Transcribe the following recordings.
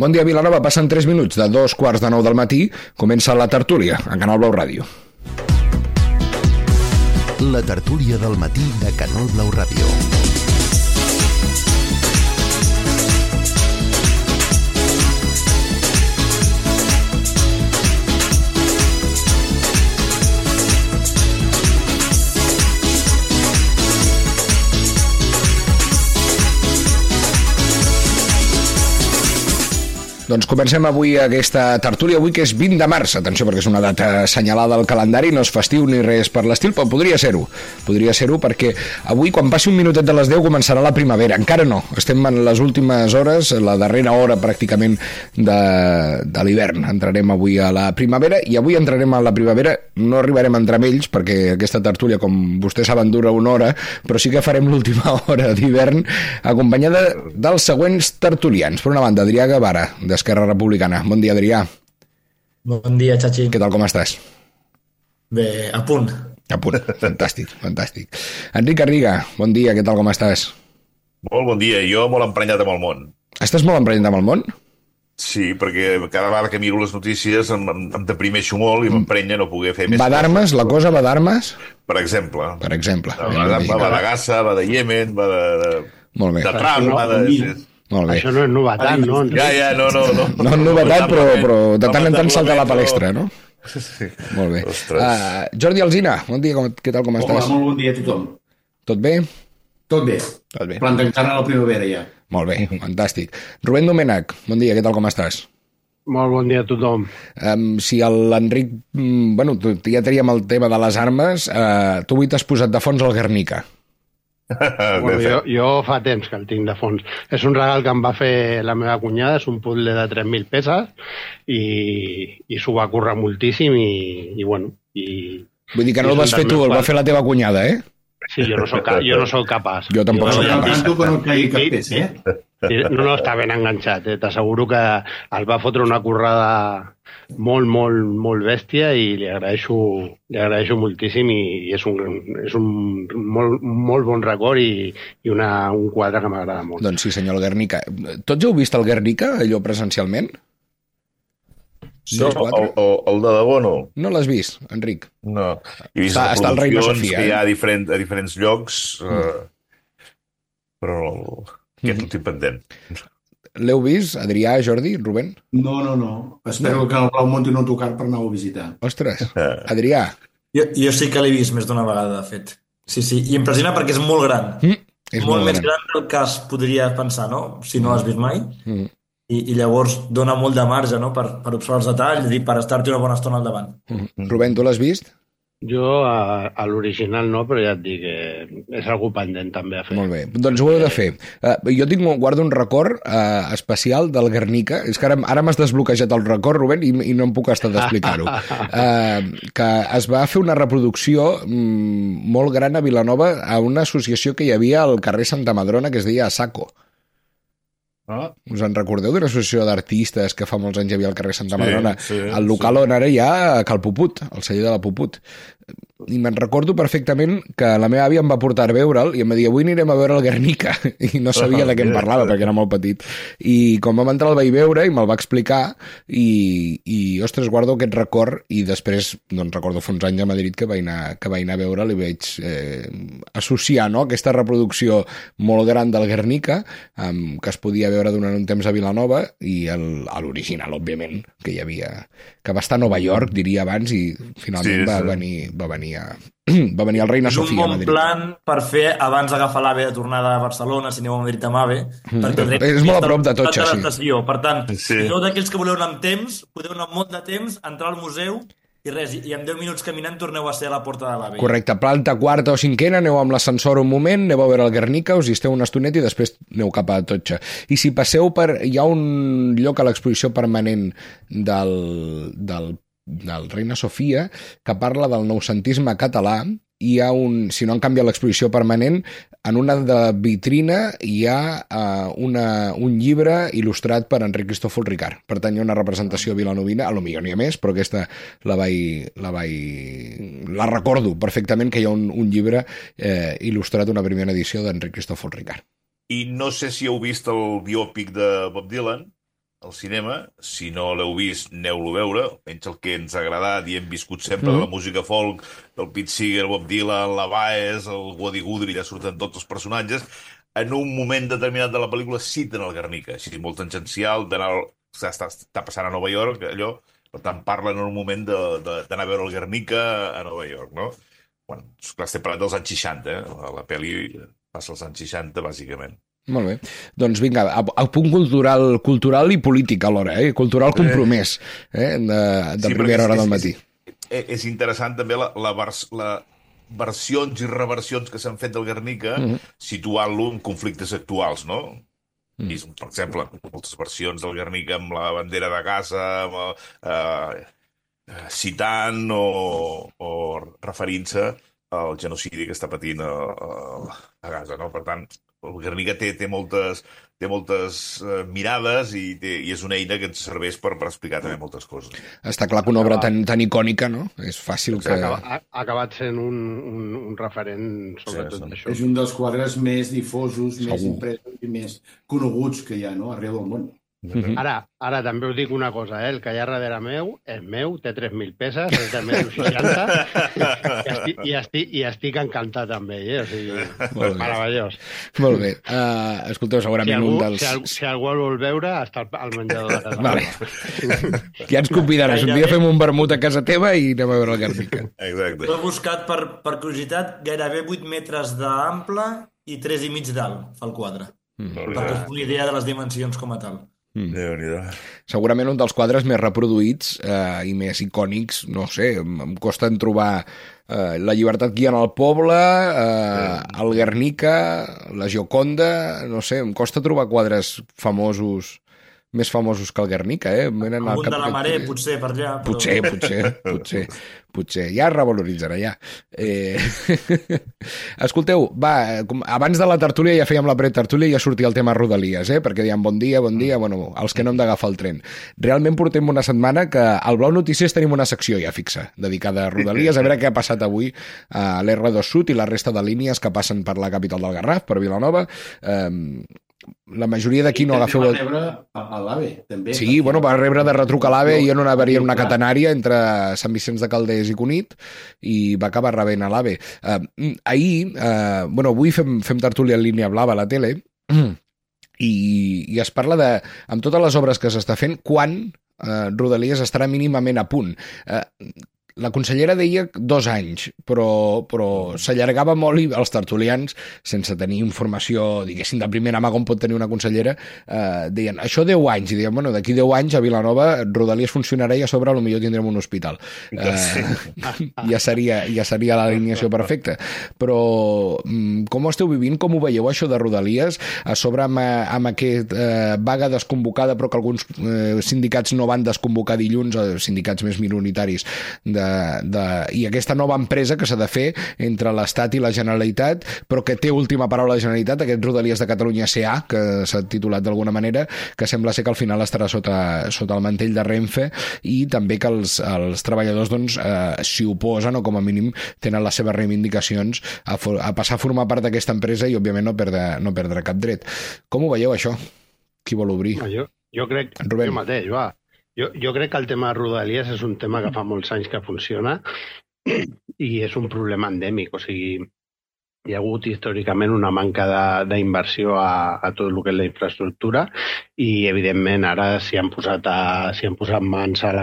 Bon dia, Vilanova. Passen 3 minuts de 2:15 del matí. Comença la tertúlia a Canal Blau Ràdio. La tertúlia del matí de Canal Blau Ràdio. Doncs comencem avui aquesta tertúlia, avui que és 20 de març, atenció perquè és una data assenyalada al calendari, no és festiu ni res per l'estil, però podria ser-ho perquè avui quan passi un minutet de les 10 començarà la primavera, encara no, estem en les últimes hores, la darrera hora pràcticament de l'hivern, entrarem avui a la primavera i avui entrarem a la primavera, no arribarem a entrar amb ells perquè aquesta tertúlia, com vostès saben, dura una hora, però sí que farem l'última hora d'hivern acompanyada dels següents tertulians. Per una banda, Adrià Guevara, d'Esquerra Republicana. Bon dia, Adrià. Bon dia, Chachi. Què tal, com estàs? Bé, a punt. A punt, fantàstic. Enric Garriga, bon dia, què tal, com estàs? Molt bon dia, jo molt emprenyat amb el món. Estàs molt emprenyat amb el món? Sí, perquè cada vegada que miro les notícies em deprimeixo molt i m'emprenya no poder fer més. Va d'armes, la cosa va d'armes? Per exemple. Va de Gaza, va de Iemen, va de... Molt bé. De Trump, va de... Molt bé. Això no és novetat, no? Ja, no. No és novetat, però de tant en tant salta a la palestra, no? Sí. Molt bé. Jordi Alsina, bon dia, què tal, com estàs? Hola, molt bon dia a tothom. Tot bé? Tot bé. Plantant a la primavera ja. Molt bé, fantàstic. Rubén Domènech, bon dia, què tal, com estàs? Molt bon dia a tothom. Si l'Enric... Bueno, ja teníem el tema de les armes, tu avui t'has posat de fons al Guernica. Bueno, jo fa temps que el tinc de fons. És un regal que em va fer la meva cunyada, és un puzzle de 3.000 peces i s'ho va currar moltíssim i bueno... Vull dir que no el vas fer tu, el va fer la teva cunyada, eh? Sí, jo no soc capaç. Jo tampoc soc capaç. Tu que no caigui cap peça, eh? No, està ben enganxat, t'asseguro que el va fotre una currada molt bèstia i li agraeixo moltíssim i és un molt bon record i un quadre que m'agrada molt. Doncs sí, senyor, el Guernica. Tots heu vist el Guernica, allò presencialment? No, el de debò no. No l'has vist, Enric? No. He vist està el Reina Sofia, que hi ha a diferents llocs, però aquest últim pendent. L'heu vist, Adrià, Jordi, Rubén? No. Espero que el Blau Monti no tocar per anar a visitar. Ostres, Adrià. Jo sí que l'he vist més d'una vegada, de fet. Sí, i impressiona perquè és molt gran. És molt més gran del que es podria pensar, no? Si no l'has vist mai. I llavors dona molt de marge, no? Per observar els detalls i per estar-te una bona estona al davant. Rubén, tu l'has vist? Jo a l'original no, però ja et dic que és algú pendent també a fer. Molt bé, doncs ho heu de fer. Jo guardo un record especial del Guernica, és que ara m'has desbloquejat el record, Rubén, i no em puc estar d'explicar-ho. Que es va fer una reproducció molt gran a Vilanova a una associació que hi havia al carrer Santa Madrona que es deia Asaco. Us en recordeu d'una associació d'artistes que fa molts anys hi havia al carrer Santa Madrona? El local on ara hi ha Cal Puput, el celler de la Puput. I me'n recordo perfectament que la meva àvia em va portar a veure'l i em va dir avui anirem a veure el Guernica i no sabia de què em parlava perquè era molt petit i quan vam entrar el vaig veure i me'l va explicar i ostres, guardo aquest record i després doncs recordo fa uns anys a Madrid que vaig anar a veure'l i vaig associar aquesta reproducció molt gran del Guernica que es podia veure durant un temps a Vilanova i l'original, òbviament, que hi havia, que va estar a Nova York, diria abans, i finalment va venir el Reina Sofia a Madrid. És un bon plan per fer abans d'agafar l'AVE de tornada a Barcelona, si aneu a Madrid amb AVE. És molt a prop de Totxa, sí. Per tant, si sou d'aquells que voleu anar amb temps, podeu anar amb molt de temps, entrar al museu i res, i en 10 minuts caminant torneu a ser a la porta de l'AVE. Correcte, planta quarta o cinquena, aneu amb l'ascensor un moment, aneu a veure el Guernica, us hi esteu una estoneta i després aneu cap a Totxa. I si passeu hi ha un lloc a l'exposició permanent del Reina Sofia que parla del noucentisme català hi ha si no han canviat l'exposició permanent, en una de vitrina hi ha un llibre il·lustrat per Enric Cristòfol Ricard. Per tant, hi ha una representació vilanovina, a lo millor n'hi ha més, però aquesta la recordo perfectament, que hi ha un llibre il·lustrat, una primera edició d'Enric Cristòfol Ricard. I no sé si heu vist el biòpic de Bob Dylan. al cinema. Si no l'heu vist, aneu-lo a veure. Almenys el que ens ha agradat i hem viscut sempre de la música folk, del Pete Seeger, Bob Dylan, la Baez, el Woody Guthrie, ja surten tots els personatges. En un moment determinat de la pel·lícula citen el Guernica, així molt tangencial, està passant a Nova York, allò, per tant parlen en un moment d'anar a veure el Guernica a Nova York, no? Bueno, esclar, estem parlant dels anys 60, la pel·li passa als anys 60, bàsicament. Molt bé. Doncs vinga, a punt cultural i polític alhora, cultural compromès, de primera hora del matí. És interessant també la versions i reversions que s'han fet del Guernica, situant-lo en conflictes actuals, no? Per exemple, moltes versions del Guernica amb la bandera de Gaza, citant o referint-se al genocidi que està patint a Gaza, no? Per tant, el Guernica té moltes mirades i és una eina que ens serveix per explicar també moltes coses. Està clar que una obra tan icònica, no? És fàcil que... Ha acabat sent un referent sobre tot això. És un dels quadres més difosos, més impresos i més coneguts que hi ha, no?, arreu del món. Ara també us dic una cosa, el que hi ha darrere meu és meu, té 3.000 peces, és de 1,60 i estic encantat amb ell, o sigui, meravellós. Molt bé. Escolteu, segurament un dels... Si algú el vol veure, està al menjador de casa. Vale. Ja ens convidaràs. Un dia fem un vermut a casa teva i anem a veure el Guernica. Exacte. L'he buscat per curiositat, gairebé 8 metres d'ample i 3,5 d'alt fa el quadre. Perquè és una idea de les dimensions com a tal. Segurament un dels quadres més reproduïts i més icònics, no sé, em costa en trobar La llibertat guiant el poble, el Guernica, la Gioconda, no sé, em costa trobar quadres famosos, més famosos que el Guernica, Algun de la Maré, potser, per allà. Però... Potser. Ja es revaloritzarà, ja. Escolteu, va, abans de la tertúlia ja fèiem la pretertúlia i ja sortia el tema Rodalies, perquè dèiem bon dia, bueno, els que no hem d'agafar el tren. Realment portem una setmana que al Blau Notícies tenim una secció ja fixa, dedicada a Rodalies, a veure què ha passat avui a l'R2 Sud i la resta de línies que passen per la capital del Garraf, per Vilanova. La majoria d'aquí no agafeu... Va rebre a l'AVE, també. Sí, bueno, va rebre de retruc a l'AVE i en una catenària entre Sant Vicenç de Calders i Cunit i va acabar rebent a l'AVE. Avui fem tertúlia en línia blava a la tele i es parla de, amb totes les obres que s'està fent, quan Rodalies estarà mínimament a punt. La consellera deia 2 anys, però s'allargava molt i els tertulians, sense tenir informació, diguéssim, de primera mà com pot tenir una consellera, deien, això 10 anys, i deien, bueno, d'aquí 10 anys a Vilanova Rodalies funcionarà i a sobre potser tindrem un hospital. Ja seria l'alineació perfecta. Però com ho esteu vivint, com ho veieu això de Rodalies, a sobre amb aquest vaga desconvocada, però que alguns sindicats no van desconvocar dilluns, sindicats més minoritaris i aquesta nova empresa que s'ha de fer entre l'Estat i la Generalitat, però que té última paraula la Generalitat, aquest Rodalies de Catalunya S.A., que s'ha titulat d'alguna manera, que sembla ser que al final estarà sota el mantell de Renfe, i també que els treballadors s'hi oposen o com a mínim tenen les seves reivindicacions a passar a formar part d'aquesta empresa i òbviament no perdre cap dret. Com ho veieu això? Qui vol obrir? Jo crec, Rubén. Jo mateix, va. Jo crec que el tema de Rodalies és un tema que fa molts anys que funciona i és un problema endèmic. O sigui, hi ha hagut històricament una manca d'inversió a tot el que és la infraestructura i, evidentment, ara s'hi han posat mans a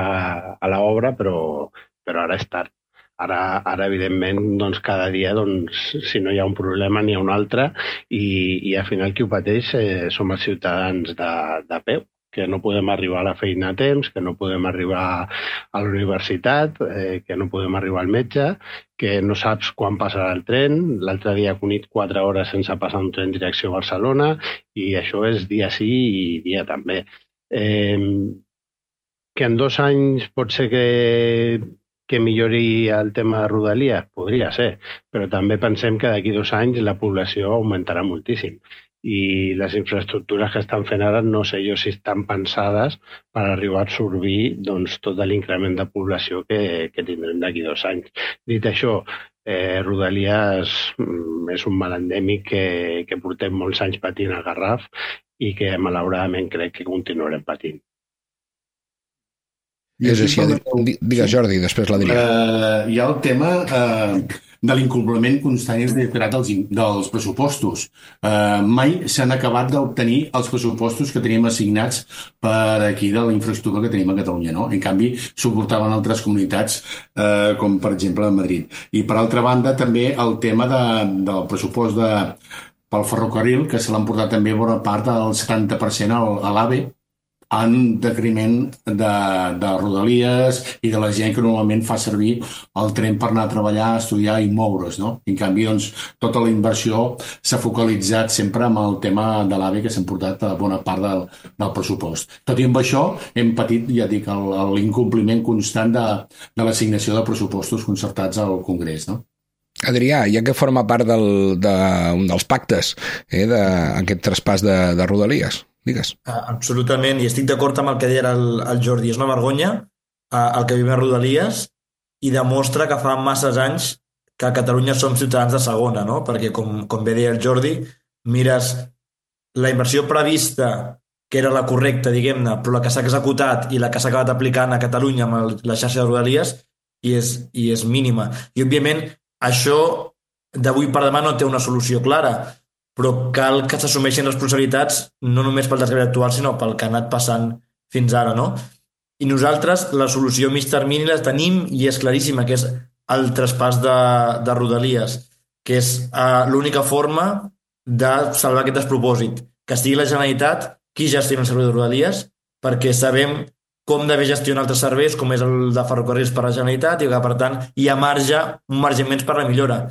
l'obra, però ara és tard. Ara evidentment, cada dia, si no hi ha un problema, n'hi ha un altre i al final qui ho pateix som els ciutadans de peu, que no podem arribar a la feina a temps, que no podem arribar a la universitat, que no podem arribar al metge, que no saps quan passarà el tren. L'altre dia he conit 4 hores sense passar un tren direcció a Barcelona i això és dia sí i dia també. Que en 2 anys pot ser que millori el tema de Rodalies? Podria ser, però també pensem que d'aquí 2 anys la població augmentarà moltíssim. I les infraestructures que estan fent ara no sé jo si estan pensades per arribar a absorbir tot l'increment de població que tindrem d'aquí 2 anys. Dit això, Rodalies és un mal endèmic que portem molts anys patint al Garraf i que malauradament crec que continuarem patint. És així. Digues, Jordi, després l'Adrià. Hi ha el tema de l'incompliment constant i reiterat dels pressupostos. Mai s'han acabat d'obtenir els pressupostos que teníem assignats per aquí de la infraestructura que tenim a Catalunya, no? En canvi, suportaven altres comunitats, com per exemple Madrid. I per altra banda, també el tema del pressupost pel ferrocarril, que se l'han portat també bona part del 70% a l'AVE, en decriment de Rodalies i de la gent que normalment fa servir el tren per anar a treballar, a estudiar i moure's, no? En canvi, doncs, tota la inversió s'ha focalitzat sempre amb el tema de l'AVE, que s'ha portat a bona part del pressupost. Tot i amb això, hem patit, ja dic, l'incompliment constant de l'assignació de pressupostos concertats al Congrés, no? Adrià, ja que forma part d'un dels pactes d'aquest traspàs de Rodalies, digues. Absolutament, i estic d'acord amb el que deia el Jordi. És una vergonya el que vivim a Rodalies i demostra que fa masses anys que a Catalunya som ciutadans de segona, no? Perquè, com bé deia el Jordi, mires la inversió prevista, que era la correcta, diguem-ne, però la que s'ha executat i la que s'ha acabat aplicant a Catalunya amb la xarxa de Rodalies i és mínima. I, òbviament, això d'avui per demà no té una solució clara, però cal que s'assumeixin responsabilitats no només pel desgavell actual, sinó pel que ha anat passant fins ara, no? I nosaltres la solució a mig termini la tenim i és claríssima, que és el traspàs de Rodalies, que és l'única forma de salvar aquest despropòsit, que sigui la Generalitat qui gestiona el servei de Rodalies, perquè sabem com d'haver gestionar altres serveis, com és el de ferrocarrils per la Generalitat, i que, per tant, hi ha un marge immens per la millora.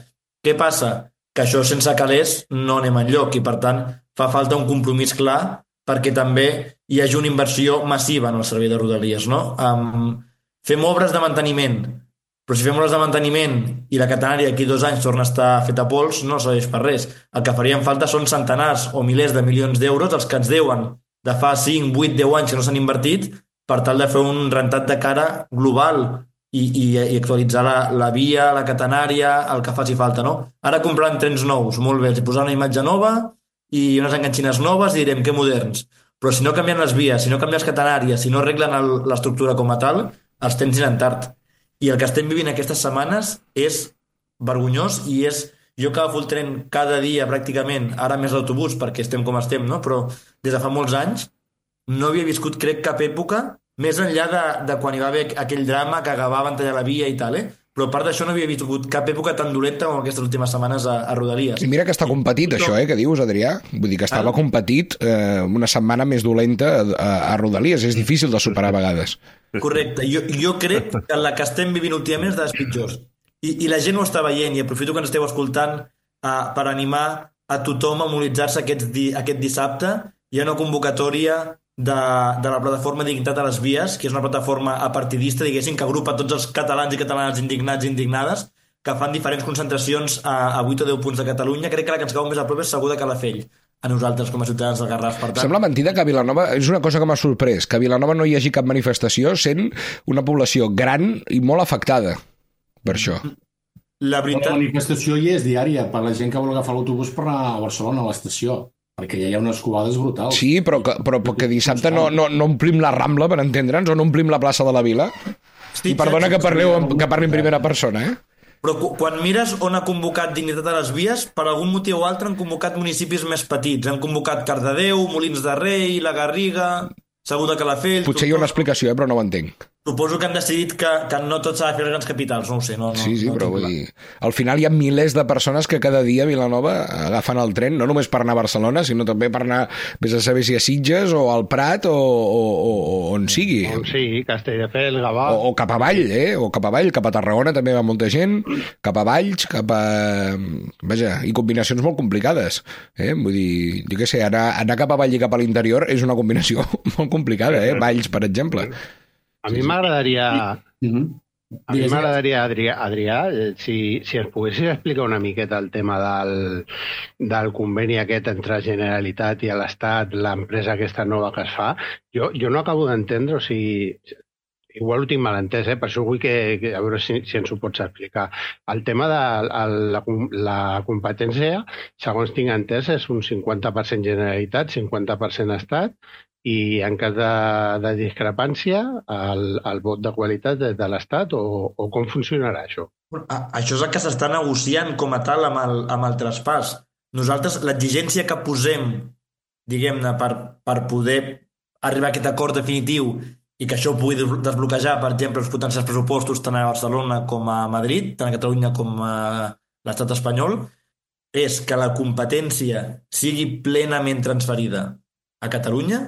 Què passa? Que això sense calés no anem enlloc i, per tant, fa falta un compromís clar perquè també hi hagi una inversió massiva en el servei de Rodalies, no? Fem obres de manteniment, però si fem obres de manteniment i la catenària aquí 2 anys torna a estar feta pols, no serveix per res. El que faríem falta són centenars o milers de milions d'euros, els que ens deuen de fa 5, 8, 10 anys que no s'han invertit, per tal de fer un rentat de cara global i actualitzar la via, la catenària, el que faci falta, no? Ara comprant trens nous, molt bé, els posar una imatge nova i unes enganxines noves i direm que moderns. Però si no canvien les vies, si no canvien les catenàries, si no arreglen l'estructura com a tal, els trens aniran tard. I el que estem vivint aquestes setmanes és vergonyós i és... Jo que agafo el tren cada dia pràcticament, ara més l'autobús perquè estem com estem, no? Però des de fa molts anys no havia viscut, crec, cap època més enllà de quan hi va haver aquell drama que agafaven tallar la via i tal, però a part d'això no havia viscut cap època tan dolenta com aquestes últimes setmanes a Rodalies. I mira que està competit això, que dius, Adrià? Vull dir que estava competit una setmana més dolenta a Rodalies. És difícil de superar a vegades. Correcte. Jo crec que la que estem vivint últimament és de les pitjors. I la gent ho està veient i aprofito que ens esteu escoltant per animar a tothom a mobilitzar-se aquest dissabte. Hi ha una convocatòria de la plataforma Dignitat a les Vies, que és una plataforma apartidista, diguéssim, que agrupa tots els catalans i catalanes indignats i indignades, que fan diferents concentracions a 8 o 10 punts de Catalunya. Crec que la que ens cau més a prop és segur de Calafell, a nosaltres com a ciutadans del Garraf. Per tant... Sembla mentida que a Vilanova, és una cosa que m'ha sorprès, que a Vilanova no hi hagi cap manifestació, sent una població gran i molt afectada per això. La manifestació hi és diària per la gent que vol agafar l'autobús per anar a Barcelona, a l'estació, perquè ja hi ha unes covades brutals. Sí, però que dissabte no omplim la Rambla, per entendre'ns, o no omplim la plaça de la Vila. I perdona que parli en primera persona, Però quan mires on ha convocat Dignitat a les Vies, per algun motiu o altre han convocat municipis més petits. Han convocat Cardedeu, Molins de Rei, La Garriga, Segur de Calafell... Potser hi ha una explicació, però no ho entenc. Suposo que han decidit que no tot s'ha de fer a les grans capitals, no ho sé. Sí, però vull dir... Al final hi ha milers de persones que cada dia a Vilanova agafen el tren, no només per anar a Barcelona, sinó també per anar, vés a saber si a Sitges o al Prat o on sigui. On sigui, Castelldefels, Gavà... O cap avall, o cap avall, cap a Tarragona també va molta gent, cap a Valls, cap a... Vaja, i combinacions molt complicades. Vull dir, jo què sé, anar cap avall i cap a l'interior és una combinació molt complicada, Valls, per exemple. A mi m'agradaria... Adrià, si ens poguessis explicar una miqueta el tema del conveni aquest entre Generalitat i l'Estat, l'empresa aquesta nova que es fa, jo no acabo d'entendre, o sigui, igual ho tinc mal entès, per això vull que a veure si ens ho pots explicar. El tema de la competència, segons tinc entès, és un 50% Generalitat, 50% Estat, I en cas de discrepància, el vot de qualitat és de l'Estat o com funcionarà això? Això és el que s'està negociant com a tal amb el traspàs. Nosaltres, l'exigència que posem, diguem-ne, per poder arribar a aquest acord definitiu i que això pugui desbloquejar, per exemple, els potencials pressupostos tant a Barcelona com a Madrid, tant a Catalunya com a l'estat espanyol, és que la competència sigui plenament transferida a Catalunya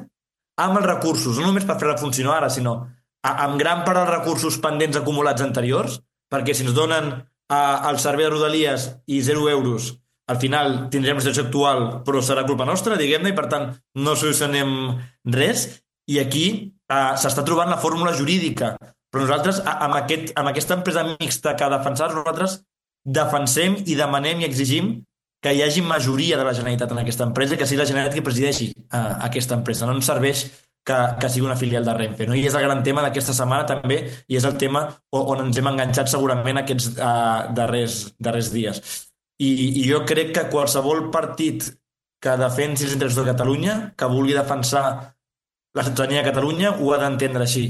amb els recursos, no només per fer-la funcionar ara, sinó amb gran part dels recursos pendents acumulats anteriors, perquè si ens donen el servei de Rodalies i 0 euros, al final tindrem la situació actual, però serà culpa nostra, diguem-ne, i per tant no solucionem res, i aquí s'està trobant la fórmula jurídica. Però nosaltres, amb aquesta empresa mixta que defensar, nosaltres defensem i demanem i exigim que hi hagi majoria de la Generalitat en aquesta empresa i que sigui la Generalitat qui presideixi aquesta empresa. No ens serveix que sigui una filial de Renfe, no? I és el gran tema d'aquesta setmana també, i és el tema on ens hem enganxat segurament aquests darrers dies. I jo crec que qualsevol partit que defensi els interessos de Catalunya, que vulgui defensar la ciutadania de Catalunya, ho ha d'entendre així,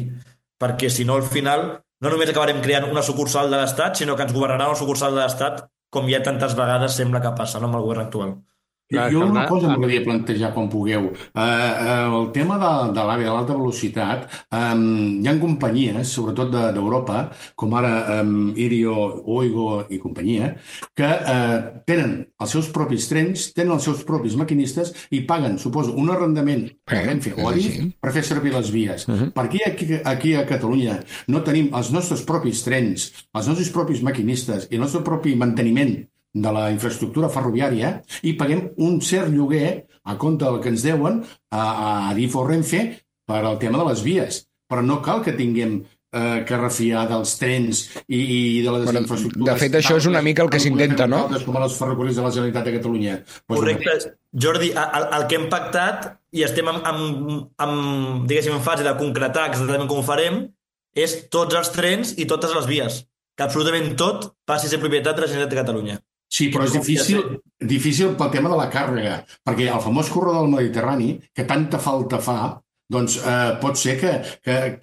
perquè si no al final no només acabarem creant una sucursal de l'Estat, sinó que ens governarà una sucursal de l'Estat, com ja tantes vegades sembla que passa, no, amb el govern actual. Jo una cosa m'agradaria plantejar quan pugueu. El tema de l'AVE de l'alta velocitat, hi ha companyies, sobretot d'Europa, com ara Irio, Oigo i companyia, que tenen els seus propis trens, tenen els seus propis maquinistes i paguen, suposo, un arrendament per fer servir les vies. Per què aquí a Catalunya no tenim els nostres propis trens, els nostres propis maquinistes i el nostre propi manteniment de la infraestructura ferroviària i paguem un cert lloguer a compte del que ens deuen a Adif o Renfe per al tema de les vies. Però no cal que tinguem que refiar dels trens i de les infraestructures. De fet, això és una mica el que s'intenta, no? Com els ferrocarrils de la Generalitat de Catalunya. Correcte. Jordi, el que hem pactat i estem diguéssim, en fase de concretar exactament com ho farem és tots els trens i totes les vies. Que absolutament tot passi a ser propietat de la Generalitat de Catalunya. Sí, però és difícil pel tema de la càrrega, perquè el famós corredor del Mediterrani, que tanta falta fa, doncs pot ser que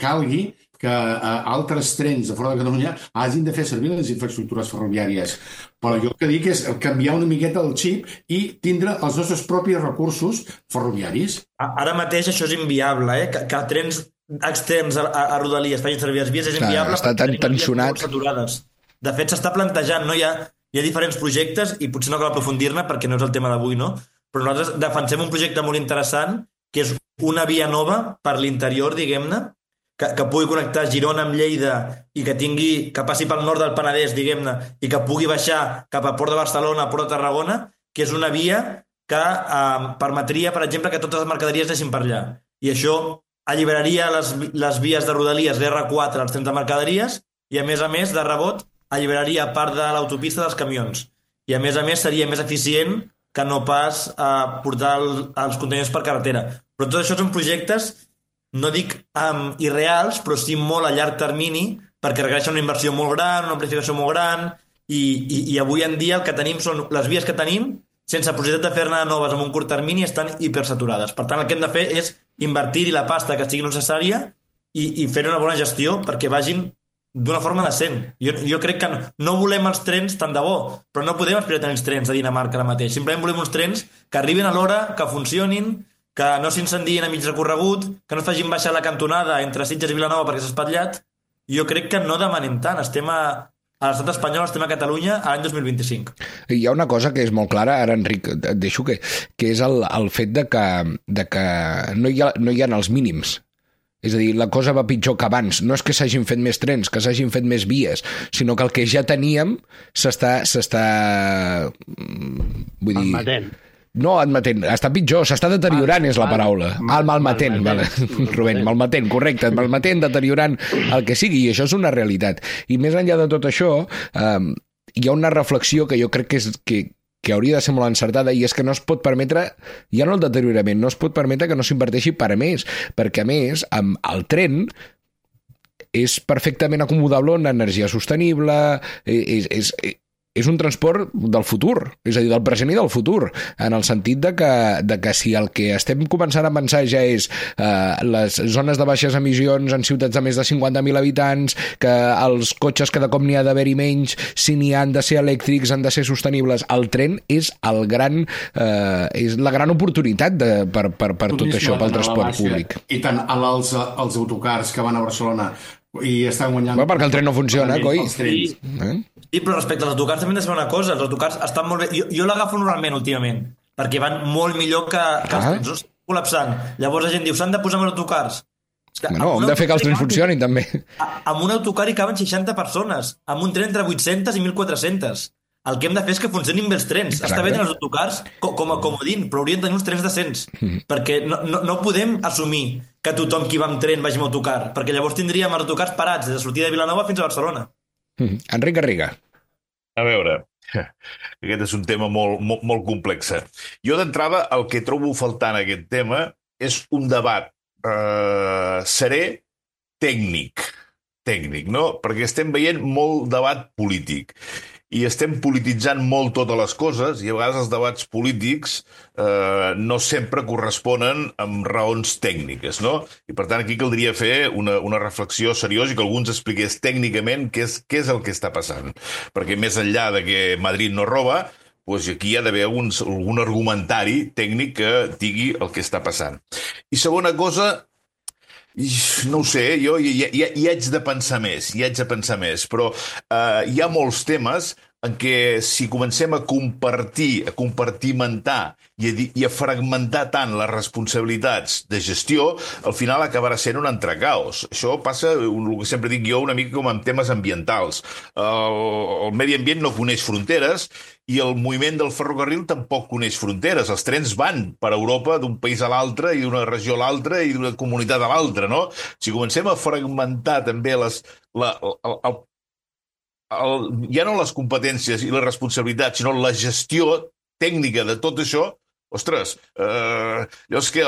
calgui que altres trens de fora de Catalunya hagin de fer servir les infraestructures ferroviàries. Però jo el que dic és canviar una miqueta el xip i tindre els nostres propis recursos ferroviaris. Ara mateix això és inviable, que trens externs a Rodalies facin servir les vies és inviable. Està tan tensionat. De fet, s'està plantejant, no? Hi ha diferents projectes i potser no cal aprofundir-ne perquè no és el tema d'avui, no? Però nosaltres defensem un projecte molt interessant que és una via nova per l'interior, diguem-ne, que pugui connectar Girona amb Lleida i que passi pel nord del Penedès, diguem-ne, i que pugui baixar cap a Port de Barcelona, Port de Tarragona, que és una via que permetria, per exemple, que totes les mercaderies deixin per allà. I això alliberaria les vies de Rodalies, l'R4, els trens de mercaderies, i a més, de rebot, alliberaria part de l'autopista dels camions. I a més, seria més eficient que no pas portar els contenidors per carretera. Però tot això són projectes, no dic irreals, però sí molt a llarg termini, perquè requereixen una inversió molt gran, una amplificació molt gran, i avui en dia el que tenim són les vies que tenim, sense possibilitat de fer-ne noves en un curt termini, estan hipersaturades. Per tant, el que hem de fer és invertir-hi la pasta que sigui necessària i fer una bona gestió perquè vagin d'una forma decent. Jo crec que no volem els trens tant de bo, però no podem aspirar a tenir els trens de Dinamarca ara mateix. Simplement volem uns trens que arribin a l'hora, que funcionin, que no s'incendien a mig recorregut, que no es facin baixar la cantonada entre Sitges i Vilanova perquè s'ha espatllat. Jo crec que no demanem tant. Estem a l'estat espanyol, estem a Catalunya a l'any 2025. Hi ha una cosa que és molt clara, ara Enric, et deixo que és el fet de que no hi ha els mínims. És a dir, la cosa va pitjor que abans. No és que s'hagin fet més trens, que s'hagin fet més vies, sinó que el que ja teníem s'està vull dir... Malmetent. No, admetent, està pitjor, s'està deteriorant és la paraula. Malmetent, vale. Rubén, malmetent, correcte, malmetent, deteriorant el que sigui, i això és una realitat. I més enllà de tot això, hi ha una reflexió que jo crec que hauria de ser molt encertada, i és que no es pot permetre, ja no el deteriorament, no es pot permetre que no s'inverteixi per a més, perquè a més, amb el tren és perfectament acomodable en energia sostenible, és un transport del futur, és a dir, del present i del futur, en el sentit de que si el que estem començant a pensar ja és les zones de baixes emissions en ciutats de més de 50.000 habitants, que els cotxes cada cop n'hi ha d'haver-hi menys, si n'hi han de ser elèctrics, han de ser sostenibles, el tren és és la gran oportunitat per tot això, pel transport públic. I tant els autocars que van a Barcelona i estan guanyant... Perquè el tren no funciona, coi. Sí, però respecte als autocars també hem de saber una cosa, els autocars estan molt bé, jo l'agafo normalment últimament, perquè van molt millor que els trens, no estan col·lapsant. Llavors la gent diu, s'han de posar més autocars. Hem de fer que els trens funcionin també. Amb un autocar hi caben 60 persones, amb un tren entre 800 i 1.400. El que hem de fer és que funcionin bé els trens. Exacte. Està bé tenir els autocars com a comodín, però haurien de tenir uns trens decents. Perquè no podem assumir que tothom qui va amb tren vagi amb autocar, perquè llavors tindríem els autocars parats des de sortida de Vilanova fins a Barcelona. Enric Garriga. A veure, aquest és un tema molt complex. Jo d'entrada el que trobo faltant en aquest tema és un debat serè tècnic, no? Perquè estem veient molt debat polític. I estem polititzant molt totes les coses i a vegades els debats polítics no sempre corresponen amb raons tècniques, no? I per tant aquí caldria fer una reflexió seriosa i que algú ens expliqués tècnicament què és el que està passant. Perquè més enllà de que Madrid no roba, doncs aquí hi ha d'haver algun argumentari tècnic que digui el que està passant. I segona cosa, no ho sé, jo hi haig de pensar més, però hi ha molts temes en què si comencem a compartimentar i a fragmentar tant les responsabilitats de gestió, al final acabarà sent un entrecaos. Això passa, el que sempre dic jo, una mica com en temes ambientals. El medi ambient no coneix fronteres i el moviment del ferrocarril tampoc coneix fronteres. Els trens van per Europa d'un país a l'altre i d'una regió a l'altra i d'una comunitat a l'altra, no? Si comencem a fragmentar també ja no les competències i les responsabilitats, sinó la gestió tècnica de tot això, ostres, llavors que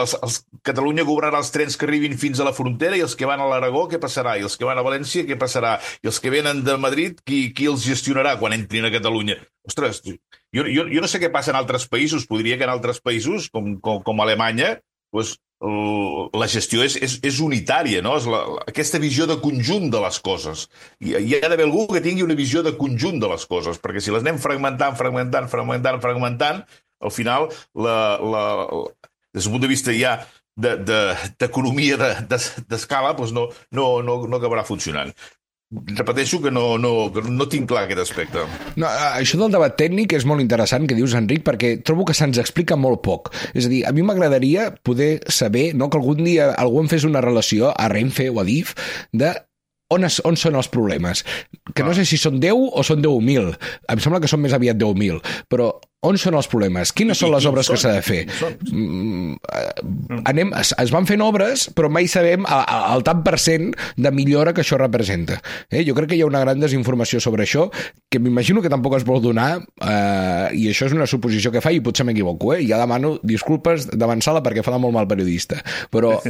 Catalunya cobrarà els trens que arribin fins a la frontera i els que van a l'Aragó, què passarà? I els que van a València, què passarà? I els que venen de Madrid, qui els gestionarà quan entrin a Catalunya? Ostres, jo no sé què passa en altres països, podria que en altres països, com Alemanya, doncs la gestió és unitària, no? És aquesta visió de conjunt de les coses. Hi ha d'haver algú que tingui una visió de conjunt de les coses, perquè si les anem fragmentant, al final, des del punt de vista ja d'economia d'escala, doncs no acabarà funcionant. Repeteixo que no tinc clar aquest aspecte. No, això del debat tècnic és molt interessant, que dius, Enric, perquè trobo que se'ns explica molt poc. És a dir, a mi m'agradaria poder saber, no, que algun dia algú em fes una relació a Renfe o a DIF de on són els problemes. Que no sé si són 10 o són 10.000. Em sembla que són més aviat 10.000. Però on són els problemes? Quines són les obres que s'ha de fer? Es van fent obres, però mai sabem el tant per cent de millora que això representa. Jo crec que hi ha una gran desinformació sobre això, que m'imagino que tampoc es vol donar, i això és una suposició que fa, i potser m'equivoco. Ja demano disculpes d'avançada perquè fa de molt mal periodista. Però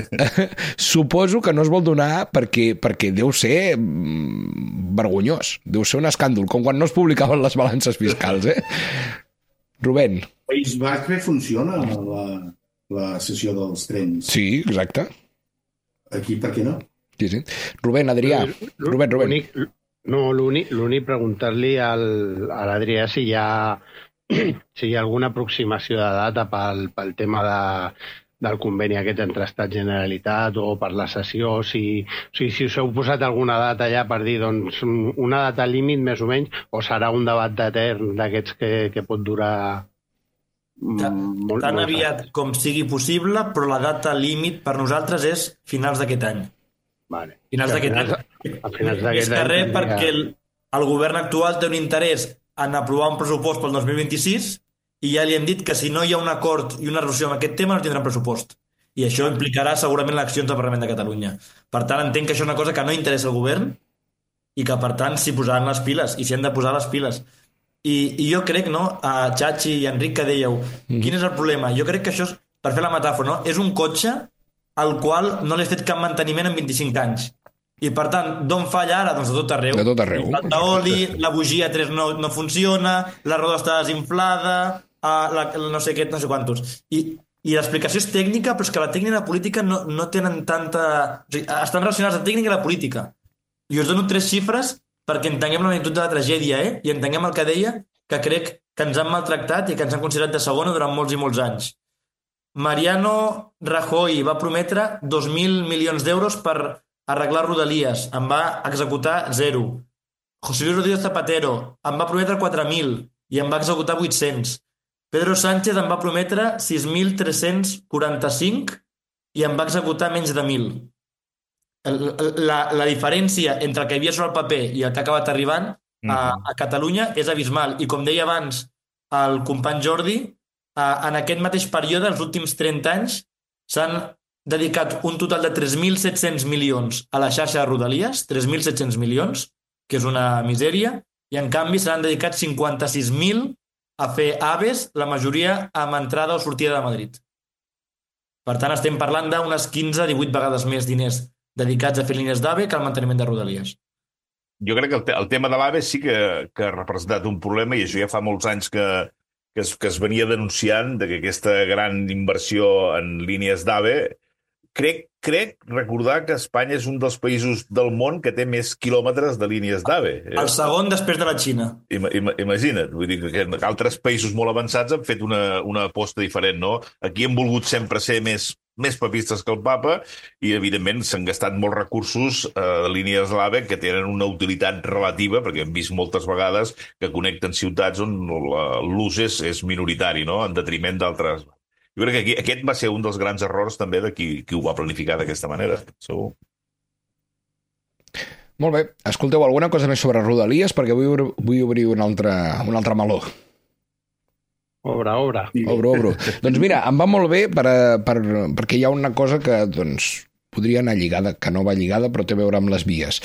suposo que no es vol donar perquè deu ser vergonyós, deu ser un escàndol, com quan no es publicaven les balances fiscals, Rubén. País Basc bé funciona la sessió dels trens. Sí, exacte. Aquí per què no? Sí. Rubén, Adrià. Rubén. L'únic preguntar-li a l'Adrià si hi ha alguna aproximació de data pel tema del conveni aquest entre Estat i Generalitat o per la sessió, si us heu posat alguna data ja per dir, doncs, una data límit més o menys, o serà un debat etern d'aquests que pot durar tan aviat com sigui possible, però la data límit per nosaltres és finals d'aquest any. Vale. Finals d'aquest any. Més que res perquè el govern actual té un interès en aprovar un pressupost pel 2026 i ja li hem dit que si no hi ha un acord i una resolució amb aquest tema no tindrà pressupost. I això implicarà segurament eleccions al Parlament de Catalunya. Per tant, entenc que això és una cosa que no interessa al govern i que, per tant, s'hi posaran les piles i s'hi han de posar les piles. I jo crec, no, a Chachi i Enric, que dèieu, quin és el problema? Jo crec que això, per fer la metàfora, no? És un cotxe al qual no li has fet cap manteniment en 25 anys. I per tant, d'on falla ara? Doncs de tot arreu. De tot arreu. Li falta oli, la bugia 3 no funciona, la roda està desinflada, no sé què, no sé quantos. I l'explicació és tècnica, però és que la tècnica i la política no tenen tanta... O sigui, estan relacionats la tècnica i la política. I us dono 3 xifres perquè entenguem la magnitud de la tragèdia, i entenguem el que deia, que crec que ens han maltractat i que ens han considerat de segona durant molts i molts anys. Mariano Rajoy va prometre 2.000 milions d'euros per arreglar Rodalies, en va executar 0. José Luis Rodríguez Zapatero en va prometre 4.000 i en va executar 800. Pedro Sánchez en va prometre 6.345 i en va executar menys de 1.000. La diferència entre el que hi havia sobre el paper i el que ha acabat arribant a Catalunya és abismal. I com deia abans el company Jordi, en aquest mateix període, els últims 30 anys, s'han dedicat un total de 3.700 milions a la xarxa de Rodalies, 3.700 milions, que és una misèria, i en canvi s'han dedicat 56.000 a fer AVEs, la majoria amb entrada o sortida de Madrid. Per tant, estem parlant d'unes 15-18 vegades més diners dedicats a fer línies d'AVE que al manteniment de Rodalies. Jo crec que el tema de l'AVE sí que ha representat un problema, i això ja fa molts anys que es venia denunciant, de que aquesta gran inversió en línies d'AVE... Crec recordar que Espanya és un dels països del món que té més quilòmetres de línies d'AVE. El segon després de la Xina. Imagina't, vull dir que altres països molt avançats han fet una aposta diferent, no? Aquí hem volgut sempre ser més papistes que el papa i, evidentment, s'han gastat molts recursos de línies d'AVE que tenen una utilitat relativa, perquè hem vist moltes vegades que connecten ciutats on l'ús és minoritari, no? En detriment d'altres. Jo crec que aquest va ser un dels grans errors també de qui ho va planificar d'aquesta manera, segur. Molt bé. Escolteu, alguna cosa més sobre Rodalies? Perquè vull obrir un altre meló. Obra. Obro. Doncs mira, em va molt bé perquè hi ha una cosa que podria anar lligada, que no va lligada, però té a veure amb les vies.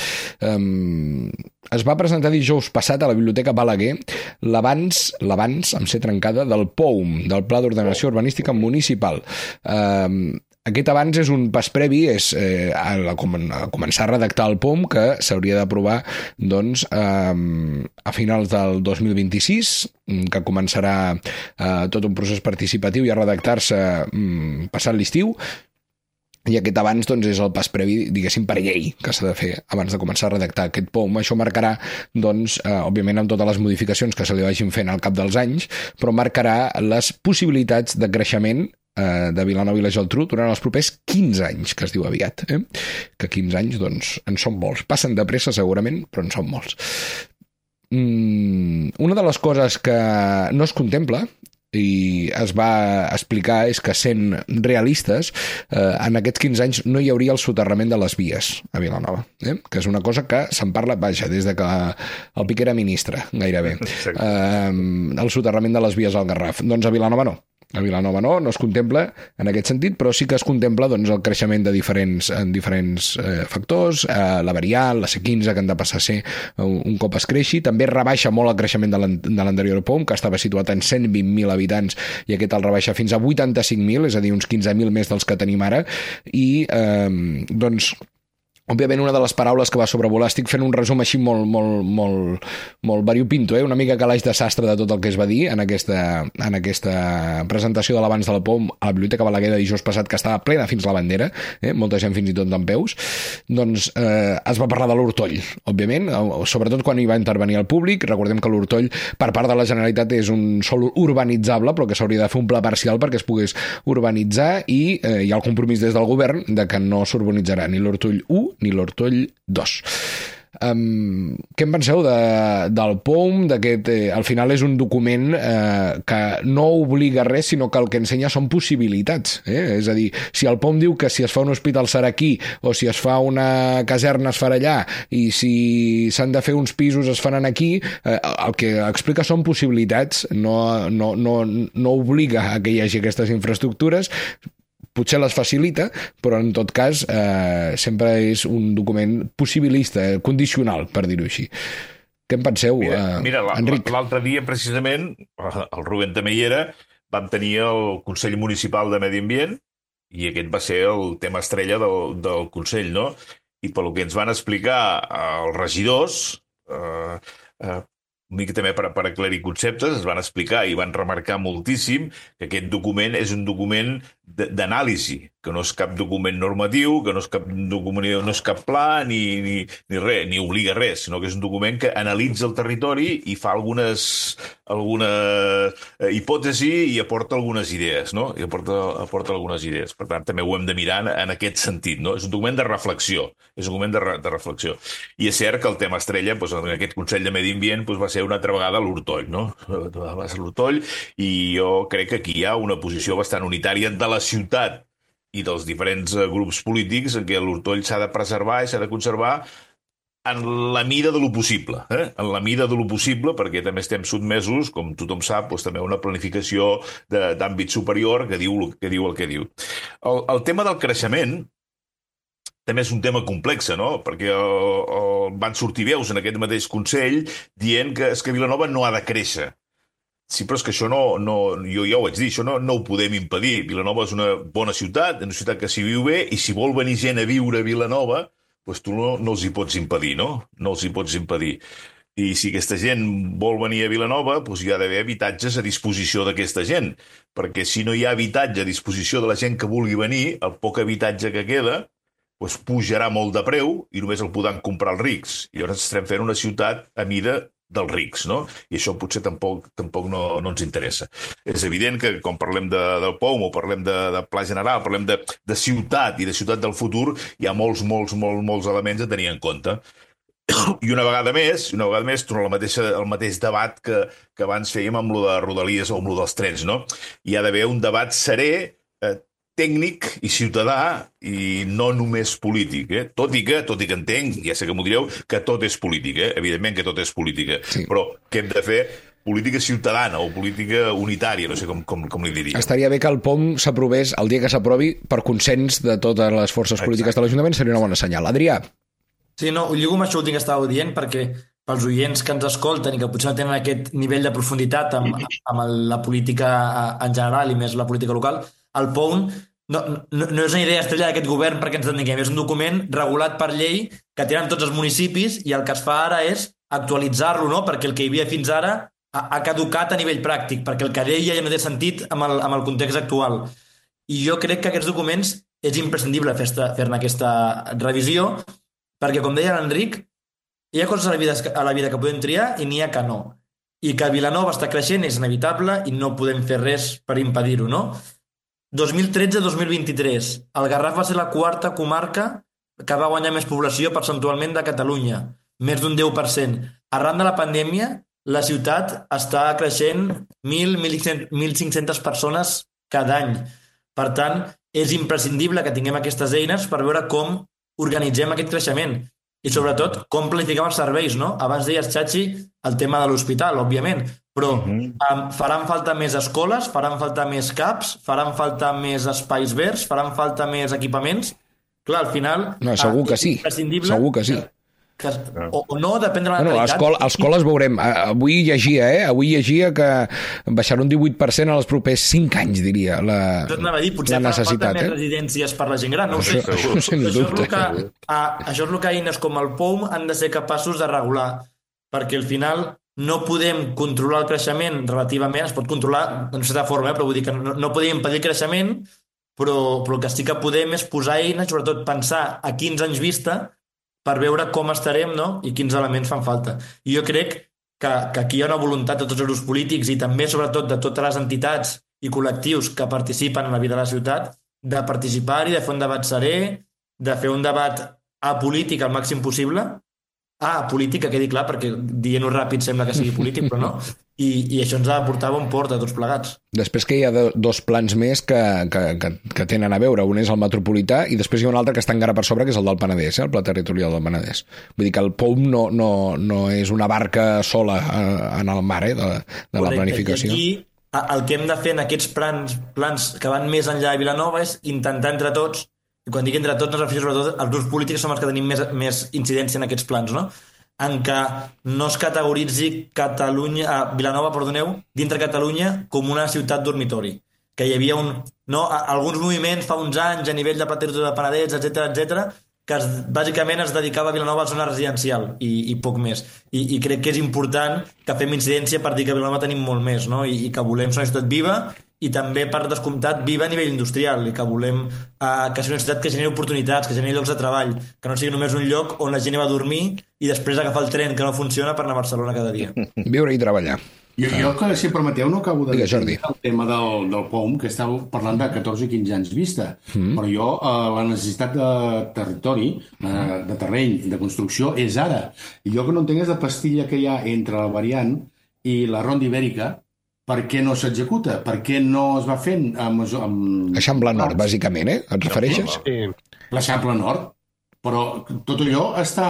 Es va presentar dijous passat a la Biblioteca Balaguer l'avanç, amb C trencada, del POUM, del Pla d'Ordenació Urbanística Municipal. Aquest avanç és un pas previ, és a començar a redactar el POUM, que s'hauria d'aprovar doncs, a finals del 2026, que començarà tot un procés participatiu i a redactar-se passat l'estiu. I aquest abans doncs, és el pas previ, diguéssim, per llei, que s'ha de fer abans de començar a redactar aquest POUM. Això marcarà, doncs, òbviament, amb totes les modificacions que se li vagin fent al cap dels anys, però marcarà les possibilitats de creixement de Vilanova i la Geltrú durant els propers 15 anys, que es diu aviat. Que 15 anys, doncs, en són molts. Passen de pressa, segurament, però en són molts. Una de les coses que no es contempla i es va explicar és que, sent realistes, en aquests 15 anys no hi hauria el soterrament de les vies a Vilanova, que és una cosa que se'n parla, des de que el Piqué era ministre, gairebé. El soterrament de les vies al Garraf. Doncs a Vilanova no. A Vilanova no es contempla en aquest sentit, però sí que es contempla doncs, el creixement de diferents factors, la variant, la C15, que han de passar a ser un cop es creixi. També rebaixa molt el creixement de l'anterior POUM, que estava situat en 120.000 habitants, i aquest el rebaixa fins a 85.000, és a dir, uns 15.000 més dels que tenim ara, i doncs... Òbviament, una de les paraules que va sobrevolar, estic fent un resum així molt variopinto, una mica calaix de sastre de tot el que es va dir en aquesta presentació de l'abans de la POUM a la Biblioteca Balaguer de dijous passat, que estava plena fins la bandera, molta gent fins i tot d'en peus. Doncs es va parlar de l'Hortoll, òbviament, sobretot quan hi va intervenir el públic. Recordem que l'Hortoll, per part de la Generalitat, és un sòl urbanitzable, però que s'hauria de fer un pla parcial perquè es pogués urbanitzar, i hi ha el compromís des del govern de que no s'urbanitzarà ni l'Hortoll 1 ni l'Hortoll 2. Què en penseu del POUM? Al final és un document que no obliga res, sinó que el que ensenya són possibilitats. És a dir, si el POUM diu que si es fa un hospital serà aquí, o si es fa una caserna es farà allà, i si s'han de fer uns pisos es faran aquí, el que explica són possibilitats, no obliga a que hi hagi aquestes infraestructures. Potser les facilita, però en tot cas sempre és un document possibilista, condicional, per dir-ho així. Què en penseu, Enric? L'altre dia, precisament, el Rubén també hi era, vam tenir el Consell Municipal de Medi Ambient, i aquest va ser el tema estrella del Consell, no? i pel que ens van explicar els regidors, una mica també per aclarir conceptes, es van explicar i van remarcar moltíssim que aquest document és un document d'anàlisi, que no és cap document normatiu, que no és cap document, no és cap pla, ni res, ni obliga res, sinó que és un document que analitza el territori i fa alguna hipòtesi i aporta algunes idees, no? I aporta algunes idees. Per tant, també ho hem de mirar en aquest sentit, no? És un document de reflexió, és un document de reflexió. I és cert que el tema estrella, doncs, en aquest Consell de Medi Ambient, doncs, va ser una altra vegada l'Hortoll, no? Va ser l'Hortoll, i jo crec que aquí hi ha una posició bastant unitària de la ciutat i dels diferents grups polítics en què l'Hortoll s'ha de preservar i s'ha de conservar en la mida de lo possible, en la mida de lo possible, perquè també estem sotmesos, com tothom sap, doncs, també a una planificació d'àmbit superior que diu el que diu. El tema del creixement també és un tema complex, no? Perquè van sortir veus en aquest mateix Consell dient que Vilanova no ha de créixer. Sí, però és que això jo ja ho vaig dir, això no ho podem impedir. Vilanova és una bona ciutat, una ciutat que s'hi viu bé, i si vol venir gent a viure a Vilanova, doncs tu no els hi pots impedir, no? No els hi pots impedir. I si aquesta gent vol venir a Vilanova, doncs hi ha d'haver habitatges a disposició d'aquesta gent, perquè si no hi ha habitatge a disposició de la gent que vulgui venir, el poc habitatge que queda doncs pujarà molt de preu i només el podran comprar els rics. I llavors estarem fent una ciutat a mida dels rics, no? I això potser tampoc no ens interessa. És evident que quan parlem del POUM o parlem de pla general, parlem de ciutat i de ciutat del futur, hi ha molts elements a tenir en compte. I una vegada més, torna al mateix debat que abans fèiem amb lo de Rodalies o amb lo dels trens, no? Hi ha d'haver un debat serè, tècnic i ciutadà i no només polític, tot i que entenc, ja sé que m'ho direu, que tot és política, evidentment que tot és política, sí. Però què hem de fer? Política ciutadana o política unitària, no sé com li diria. Estaria bé que el POM s'aprovés el dia que s'aprovi per consens de totes les forces polítiques de l'Ajuntament, seria una bona senyal. Adrià? Sí, no, ho lligo amb això últim que estàveu dient, perquè pels oients que ens escolten i que potser no tenen aquest nivell de profunditat amb la política en general i més la política local, el POUM no és una idea estrella d'aquest govern perquè ens entenguem, és un document regulat per llei que tenen tots els municipis i el que es fa ara és actualitzar-lo, no? Perquè el que hi havia fins ara ha caducat a nivell pràctic, perquè el que deia ja no té sentit amb el context actual. I jo crec que aquests documents és imprescindible fer-ne aquesta revisió, perquè, com deia l'Enric, hi ha coses a la vida que podem triar i n'hi ha que no. I que Vilanova està creixent és inevitable i no podem fer res per impedir-ho, no? 2013-2023, el Garraf va ser la quarta comarca que va guanyar més població percentualment de Catalunya, més d'un 10%. Arran de la pandèmia, la ciutat està creixent 1.500 persones cada any. Per tant, és imprescindible que tinguem aquestes eines per veure com organitzem aquest creixement i, sobretot, com planifiquem els serveis, no? Abans deies, Chachi, el tema de l'hospital, òbviament, però faran falta més escoles, faran falta més CAPs, faran falta més espais verds, faran falta més equipaments. Clar, al final... No, segur que sí, segur que sí. O no, depèn de la realitat. Escoles veurem. Avui llegia que baixarà un 18% en els propers 5 anys, diria, la necessitat. Potser farà falta més residències per la gent gran, no ho sé. Això és el que eines com el POUM han de ser capaços de regular, perquè al final no podem controlar el creixement relativament, es pot controlar d'una certa forma, però vull dir que no podem impedir el creixement, però el que sí que podem és posar eines, sobretot pensar a 15 anys vista, per veure com estarem, no? I quins elements fan falta. I jo crec que aquí hi ha una voluntat de tots els grups polítics i també, sobretot, de totes les entitats i col·lectius que participen en la vida de la ciutat, de participar-hi, de fer un debat serè, de fer un debat apolític al màxim possible. Polític, que quedi clar, perquè dient-ho ràpid sembla que sigui polític, però no. I això ens ha de portar a bon port a tots plegats. Després que hi ha dos plans més que tenen a veure. Un és el metropolità i després hi ha un altre que està encara per sobre, que és el del Penedès, el Pla Territorial del Penedès. Vull dir que el POUM no és una barca sola en el mar de la planificació. I aquí el que hem de fer en aquests plans que van més enllà de Vilanova és intentar entre tots, i quan dic entre tots, no es refereix sobretot als grups polítics, som els que tenim més incidència en aquests plans, no? En què no es categoritzi Vilanova, dintre Catalunya com una ciutat dormitori. Que hi havia alguns moviments fa uns anys a nivell de Pla Territorial del Penedès, etc, que bàsicament es dedicava a Vilanova a la zona residencial i poc més. I crec que és important que fem incidència per dir que a Vilanova tenim molt més, no? I que volem ser una ciutat viva i també, per descomptat, viva a nivell industrial i que volem que sigui una ciutat que generi oportunitats, que generi llocs de treball, que no sigui només un lloc on la gent va a dormir i després agafar el tren que no funciona per anar a Barcelona cada dia. Viure i treballar. Jo, si em permeteu, no acabo de dir el tema del POM, que estàveu parlant de 14 i 15 anys vista, però jo la necessitat de territori, de terreny, de construcció, és ara. I jo que no entenc és la pastilla que hi ha entre la variant i la ronda ibèrica. Per què no s'executa? Per què no es va fent amb Eixample Nord, bàsicament, et refereixes? Sí. L'Eixample Nord. Però tot allò està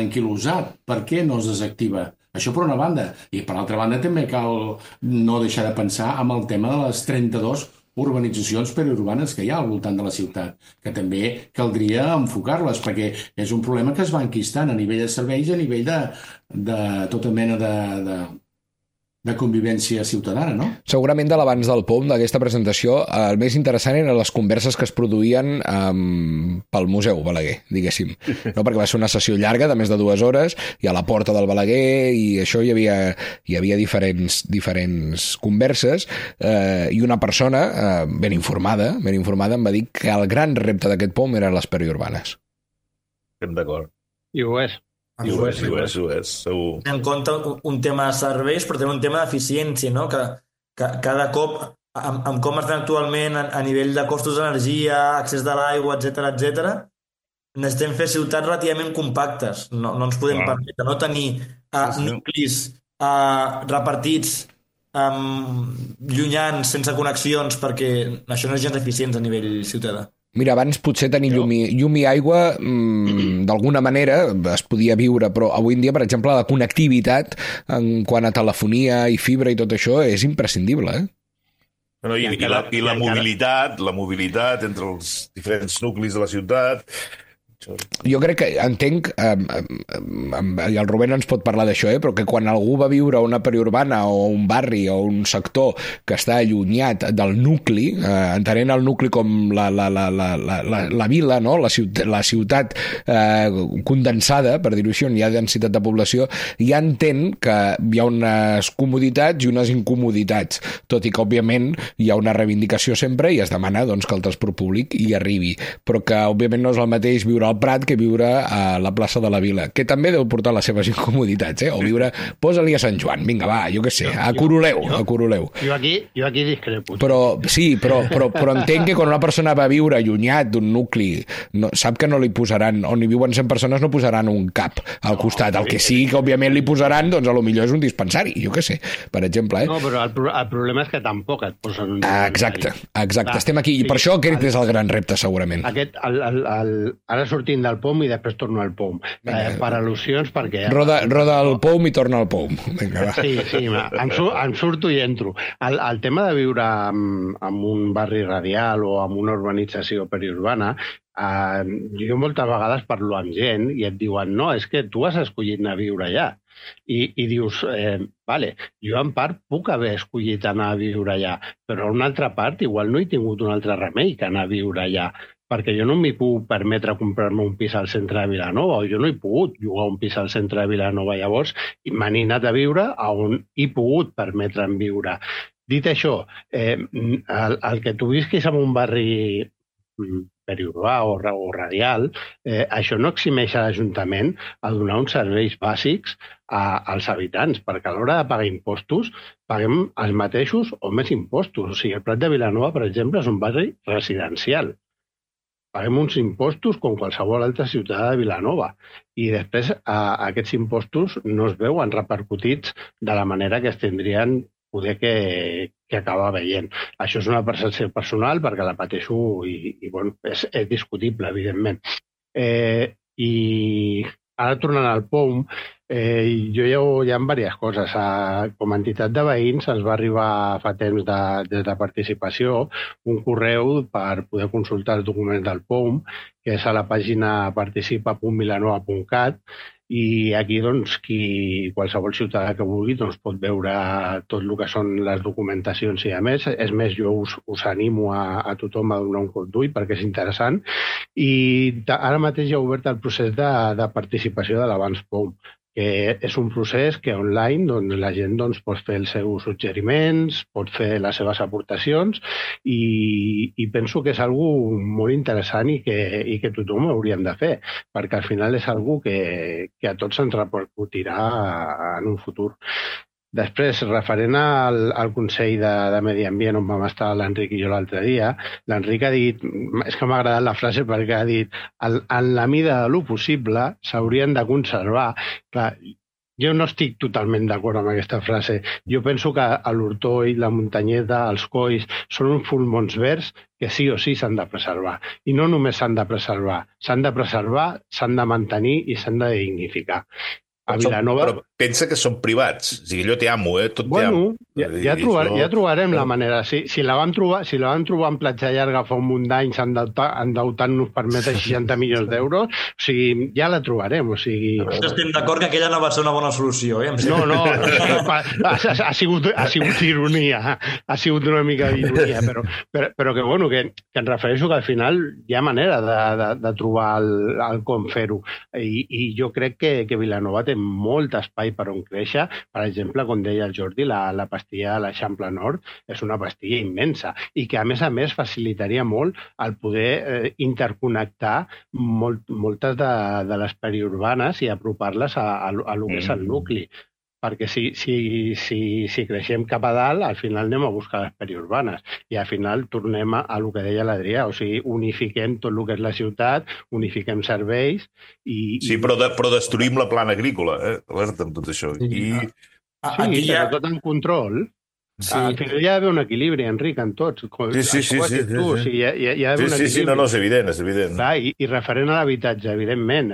anquilosat. Per què no es desactiva? Això per una banda. I per l'altra banda també cal no deixar de pensar amb el tema de les 32 urbanitzacions periurbanes que hi ha al voltant de la ciutat, que també caldria enfocar-les, perquè és un problema que es va enquistant a nivell de serveis i a nivell de tota mena de convivència ciutadana, no? Segurament de l'abans del POM, d'aquesta presentació, el més interessant eren les converses que es produïen pel Museu Balaguer, diguéssim. No? Perquè va ser una sessió llarga de més de 2 hores i a la porta del Balaguer i això hi havia diferents converses i una persona ben informada em va dir que el gran repte d'aquest POM eren les periurbanes. Estem d'acord. I ho és. I ho és, segur. En compte un tema de serveis, però també un tema d'eficiència, no? Que cada cop, amb com estan actualment a nivell de costos d'energia, accés de l'aigua, etc, necessitem fer ciutats relativament compactes. No ens podem permetre no tenir nuclis repartits llunyans, sense connexions, perquè això no és gens eficients a nivell ciutadà. Mira, abans potser tenir llum i aigua d'alguna manera es podia viure, però avui en dia, per exemple, la connectivitat en quant a telefonia i fibra i tot això és imprescindible, eh? No, i la mobilitat entre els diferents nuclis de la ciutat. Jo crec que entenc, i el Rubén ens pot parlar d'això, però que quan algú va viure a una periurbana o un barri o un sector que està allunyat del nucli, entenent el nucli com la vila, no? la ciutat condensada, per dir-ho així, on hi ha densitat de població, ja entén que hi ha unes comoditats i unes incomoditats, tot i que, òbviament, hi ha una reivindicació sempre i es demana doncs, que el transport públic hi arribi, però que, òbviament, no és el mateix viure al Prat que viure a la plaça de la Vila, que també deu portar les seves incomoditats, o viure, posa-li a Sant Joan, vinga, va, jo què sé, a Coroleu. Jo aquí discrepo. Però entenc que quan una persona va viure allunyat d'un nucli, sap que no li posaran, on hi viuen 100 persones no posaran un cap al costat, el que sí que òbviament li posaran, doncs a lo millor és un dispensari, jo què sé, per exemple. No, però el problema és que tampoc et posen un dispensari. Exacte, estem aquí, i per això aquest és el gran repte, segurament. Ara sortint del POM i després torno al POM. Per al·lusions, perquè... Roda el POM i torna al POM. Vinga, va. Sí, em surto i entro. El tema de viure en un barri radial o en una urbanització periurbana, jo moltes vegades parlo amb gent i et diuen, no, és que tu has escollit anar a viure allà. I dius, vale, jo en part puc haver escollit anar a viure allà, però en una altra part igual no he tingut un altre remei que anar a viure allà, perquè jo no m'hi puc permetre comprar-me un pis al centre de Vilanova, o jo no he pogut llogar un pis al centre de Vilanova. Llavors, me n'he anat a viure on he pogut permetre'm viure. Dit això, el que tu visquis en un barri periurbà o radial, això no eximeix a l'Ajuntament a donar uns serveis bàsics als habitants, perquè a l'hora de pagar impostos paguem els mateixos o més impostos. O sigui, el Prat de Vilanova, per exemple, és un barri residencial. Paguem uns impostos com qualsevol altra ciutadà de Vilanova i després aquests impostos no es veuen repercutits de la manera que es tindrien poder que acabar veient. Això és una percepció personal perquè la pateixo i bueno, és discutible, evidentment. I ara tornant al POM, hi ha diverses coses. Com a entitat de veïns ens va arribar fa temps des de participació un correu per poder consultar els documents del POM, que és a la pàgina participa.vilanova.cat, I aquí, doncs, qualsevol ciutadà que vulgui doncs, pot veure tot el que són les documentacions i a més. És més, jo us animo a tothom a donar un cop d'ull perquè és interessant. I ara mateix ja ha obert el procés de participació de l'Abans POM, que és un procés que online doncs, la gent doncs, pot fer els seus suggeriments, pot fer les seves aportacions i penso que és algo molt interessant i que tothom hauríem de fer, perquè al final és algo que a tots ens repercutirà en un futur. Després, referent al Consell de Medi Ambient on vam estar l'Enric i jo l'altre dia, l'Enric ha dit, és que m'ha agradat la frase perquè ha dit en la mida de lo possible s'haurien de conservar. Clar, jo no estic totalment d'acord amb aquesta frase. Jo penso que l'Hortol, la Muntanyeta, els Colls, són uns pulmons verds que sí o sí s'han de preservar. I no només s'han de preservar, s'han de mantenir i s'han de dignificar. A Vilanova... Però pensa que són privats. O sigui, allò té amo, tot té amo. Ja trobarem la manera. Si la vam trobar en Platja Llarga fa un munt d'anys endeutant-nos per més de 60 milions d'euros, o sigui, ja la trobarem. O sigui... Estem d'acord que aquella no va ser una bona solució, eh? No, ha sigut ironia. Ha sigut una mica d'ironia, però que, bueno, que em refereixo que al final hi ha manera de trobar el com fer-ho. I jo crec que Vilanova té molt espai per on créixer. Per exemple, com deia el Jordi, la pastilla de l'Eixample Nord és una pastilla immensa i que, a més, facilitaria molt el poder interconnectar moltes de les periurbanes i apropar-les a lo que és el nucli. Perquè si creixem cap a dalt, al final anem a buscar les periurbanes i al final tornem a lo que deia l'Adrià, o sigui, unifiquem tot el que és la ciutat, unifiquem serveis i... Sí, però destruïm la plana agrícola, alerta amb tot això. Sí, però tot en control. Sí. Al final hi ha d'haver un equilibri, Enric, en tots. Sí. Hi ha d'haver un equilibri. Sí, no, és evident. Clar, i referent a l'habitatge, evidentment,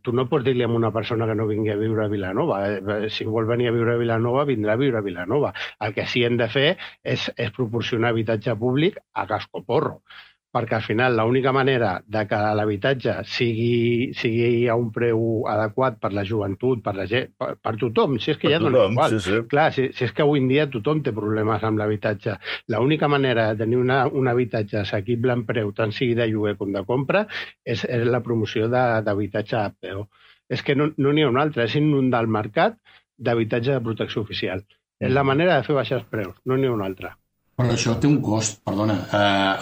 tu no pots dir-li a una persona que no vingui a viure a Vilanova. Si vol venir a viure a Vilanova, vindrà a viure a Vilanova. El que sí hem de fer és proporcionar habitatge públic a cascoporro, perquè al final l'única manera de que l'habitatge sigui a un preu adequat per la joventut, per tothom, si és que ja dona igual. Sí. Clar, si és que avui en dia tothom té problemes amb l'habitatge. L'única manera de tenir un habitatge assequible en preu, tant sigui de lloguer com de compra, és la promoció d'habitatge HPO. És que no n'hi ha una altra, és inundar el mercat d'habitatge de protecció oficial. És la manera de fer baixar els preus, no n'hi ha una altra. Però això té un cost, perdona.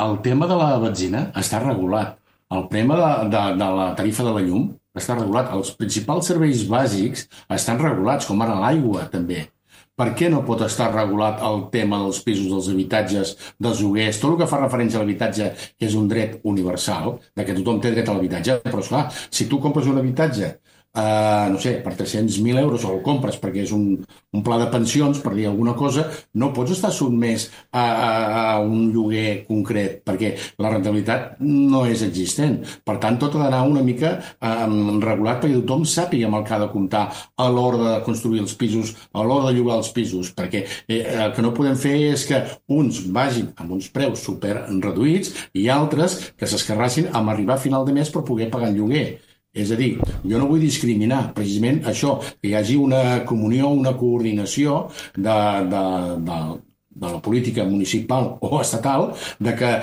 El tema de la benzina està regulat. El tema de la tarifa de la llum està regulat. Els principals serveis bàsics estan regulats, com ara l'aigua, també. Per què no pot estar regulat el tema dels pisos, dels habitatges, dels lloguers, tot el que fa referència a l'habitatge, que és un dret universal, de que tothom té dret a l'habitatge, però esclar, si tu compres un habitatge no sé, per 300.000 euros o el compres perquè és un pla de pensions, per dir alguna cosa, no pots estar sotmès a un lloguer concret perquè la rentabilitat no és existent. Per tant, tot ha d'anar una mica regulat perquè tothom sàpiga amb el que ha de comptar a l'hora de construir els pisos, a l'hora de llogar els pisos, perquè el que no podem fer és que uns vagin amb uns preus super reduïts i altres que s'escarrassin amb arribar a final de mes per poder pagar el lloguer. És a dir, jo no vull discriminar precisament això, que hi hagi una comunió, una coordinació de la política municipal o estatal de que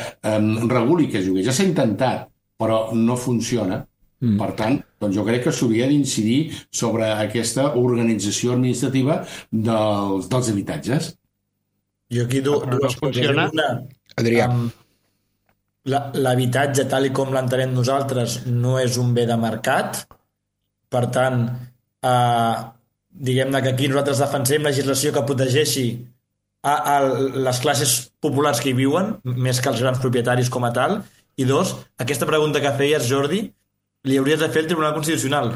reguli que es lloguer. Ja s'ha intentat, però no funciona. Per tant, doncs jo crec que s'hauria d'incidir sobre aquesta organització administrativa dels habitatges. Jo aquí dues funciona. Adrià. L'habitatge, tal i com l'entenem nosaltres, no és un bé de mercat. Per tant, diguem-ne que aquí nosaltres defensem legislació que protegeixi a les classes populars que hi viuen, més que els grans propietaris com a tal. I dos, aquesta pregunta que feies, Jordi, li hauries de fer al Tribunal Constitucional.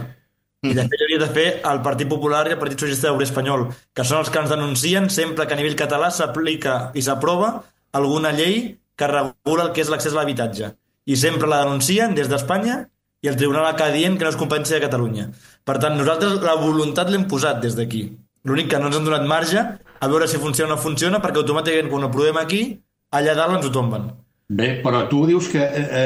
I de fet hauries de fer al Partit Popular i al Partit Socialista Obrer Espanyol, que són els que ens denuncien sempre que a nivell català s'aplica i s'aprova alguna llei que regula el que és l'accés a l'habitatge. I sempre la denuncien des d'Espanya i el Tribunal acaba dient que no és competència de Catalunya. Per tant, nosaltres la voluntat l'hem posat des d'aquí. L'únic que no ens han donat marge a veure si funciona o no funciona, perquè automàticament quan ho provem aquí, allà dalt ens ho tomben. Bé, però tu dius que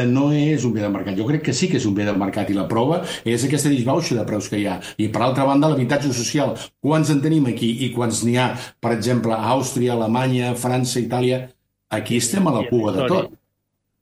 no és un bé de mercat. Jo crec que sí que és un bé de mercat i la prova és aquesta disbauxa de preus que hi ha. I per altra banda, l'habitatge social. Quants en tenim aquí i quants n'hi ha, per exemple, a Àustria, Alemanya, França, Itàlia? Aquí estem a la cua de tot.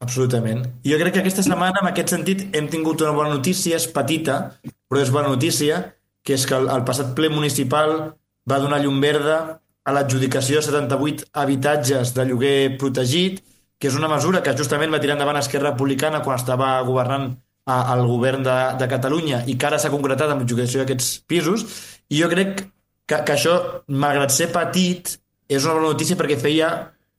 Absolutament. I jo crec que aquesta setmana, en aquest sentit, hem tingut una bona notícia, és petita, però és bona notícia, que és que el passat ple municipal va donar llum verda a l'adjudicació de 78 habitatges de lloguer protegit, que és una mesura que justament va tirar endavant Esquerra Republicana quan estava governant el govern de Catalunya i que ara s'ha concretat amb l'adjudicació d'aquests pisos. I jo crec que això, malgrat ser petit, és una bona notícia perquè feia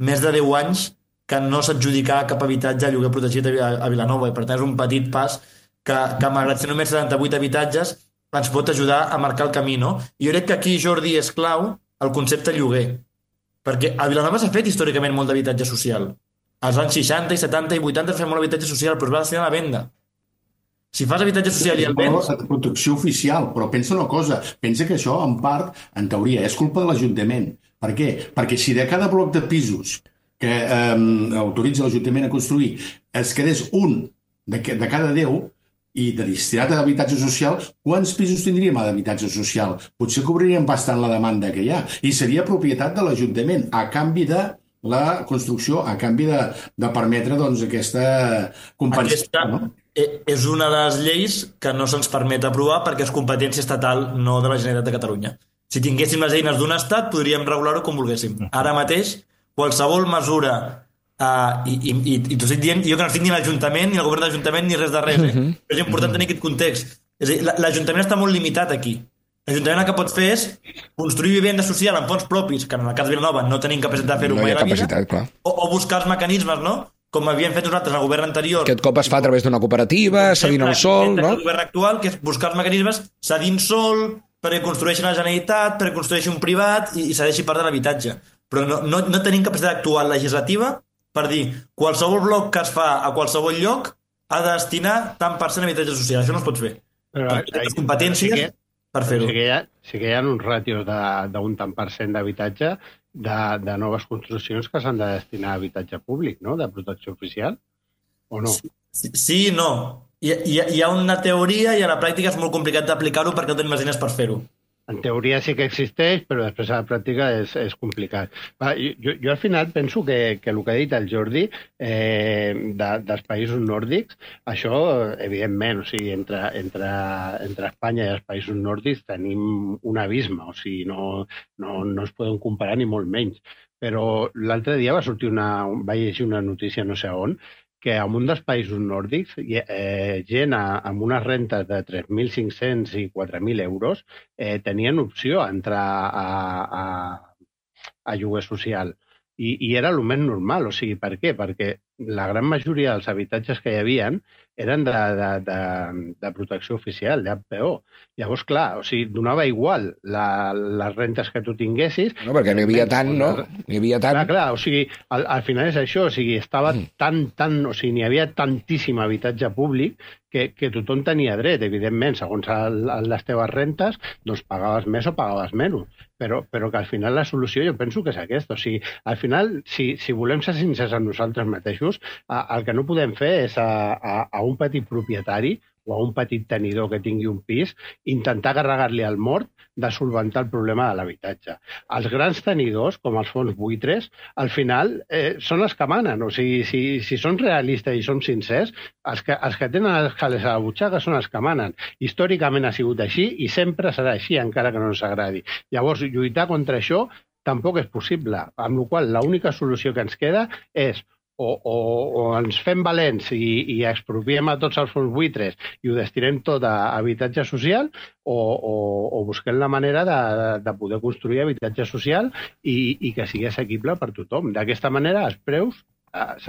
més de 10 anys que no s'adjudicava cap habitatge a lloguer protegit a Vilanova, i per tant és un petit pas que malgrat ser només 78 habitatges, ens pot ajudar a marcar el camí, no? I jo crec que aquí, Jordi, és clau el concepte lloguer, perquè a Vilanova s'ha fet històricament molt d'habitatge social. Als anys 60 i 70 i 80 es feia molt habitatge social, però es va destinar a la venda. Si fas habitatge social i el vens... Protecció oficial, però pensa una cosa, pensa que això, en part, en teoria, és culpa de l'Ajuntament. Per què? Perquè si de cada bloc de pisos que autoritza l'Ajuntament a construir es quedés un de cada 10 i de destinat a l'habitatge social, quants pisos tindríem a l'habitatge social? Potser cobriríem bastant la demanda que hi ha. I seria propietat de l'Ajuntament, a canvi de la construcció, a canvi de permetre doncs, aquesta compensació. No? És una de les lleis que no se'ns permet aprovar perquè és competència estatal, no de la Generalitat de Catalunya. Si tinguéssim les eines d'un estat, podríem regular-ho com volguéssim. Ara mateix, qualsevol mesura, i t'ho estic dient, jo que no estic ni a l'Ajuntament, ni al govern de l'Ajuntament, ni res de res. Però és important tenir aquest context. És a dir, l'Ajuntament està molt limitat aquí. L'Ajuntament el que pot fer és construir vivenda social amb fons propis, que en el cas de Vilanova no tenim capacitat de fer-ho mai a la vida, o buscar els mecanismes, no? Com havíem fet nosaltres al govern anterior. Aquest cop es fa a través d'una cooperativa, cedint el sol, no? El govern actual, que és buscar els mecanismes cedint sol, perquè construeixi la Generalitat, perquè construeixi un privat i cedeixi part de l'habitatge. Però no tenim capacitat actual legislativa per dir qualsevol bloc que es fa a qualsevol lloc ha de destinar tant per cent a habitatge social. Això no es pot fer. Però les competències per fer-ho. Sí que hi ha uns ràtios d'un tant per cent d'habitatge de noves construccions que s'han de destinar a habitatge públic, no?, de protecció oficial, o no? Sí i no. Hi ha una teoria i a la pràctica és molt complicat d'aplicar-ho perquè no tenim les eines per fer-ho. En teoria sí que existeix, però després a la pràctica és complicat. Jo al final penso que el que ha dit el Jordi dels països nòrdics, això, evidentment, o sigui, entre Espanya i els països nòrdics tenim un abisme, o sigui, no es poden comparar ni molt menys. Però l'altre dia va llegir una notícia no sé on, que en un dels països nòrdics gent amb unes rentes de 3.500 i 4.000 euros tenien opció a entrar a lloguer social. I era el més normal. O sigui, per què? Perquè la gran majoria dels habitatges que hi havia eren de protecció oficial, d'HPO. Llavors, clar, o sigui, donava igual les rentes que tu tinguessis. No, perquè n'hi havia tant, no? N'hi havia tant. Clar, o sigui, al final és això, o sigui, estava o sigui, n'hi havia tantíssim habitatge públic que tothom tenia dret, evidentment, segons les teves rentes, doncs pagaves més o pagaves menys. Però que al final la solució jo penso que és aquesta. O sigui, al final, si volem ser sincers amb nosaltres mateixos, el que no podem fer és a un petit propietari o a un petit tenidor que tingui un pis intentar carregar-li al mort de solventar el problema de l'habitatge. Els grans tenidors, com els fons buitres, al final són els que manen. O sigui, si són realistes i som sincers, els que tenen els calés a la butxaca són els que manen. Històricament ha sigut així i sempre serà així, encara que no ens agradi. Llavors, lluitar contra això tampoc és possible, amb la qual l'única solució que ens queda és o ens fem valents i expropiem a tots els fons buitres i ho destinem tot a habitatge social o busquem la manera de poder construir habitatge social i que sigui assequible per tothom. D'aquesta manera els preus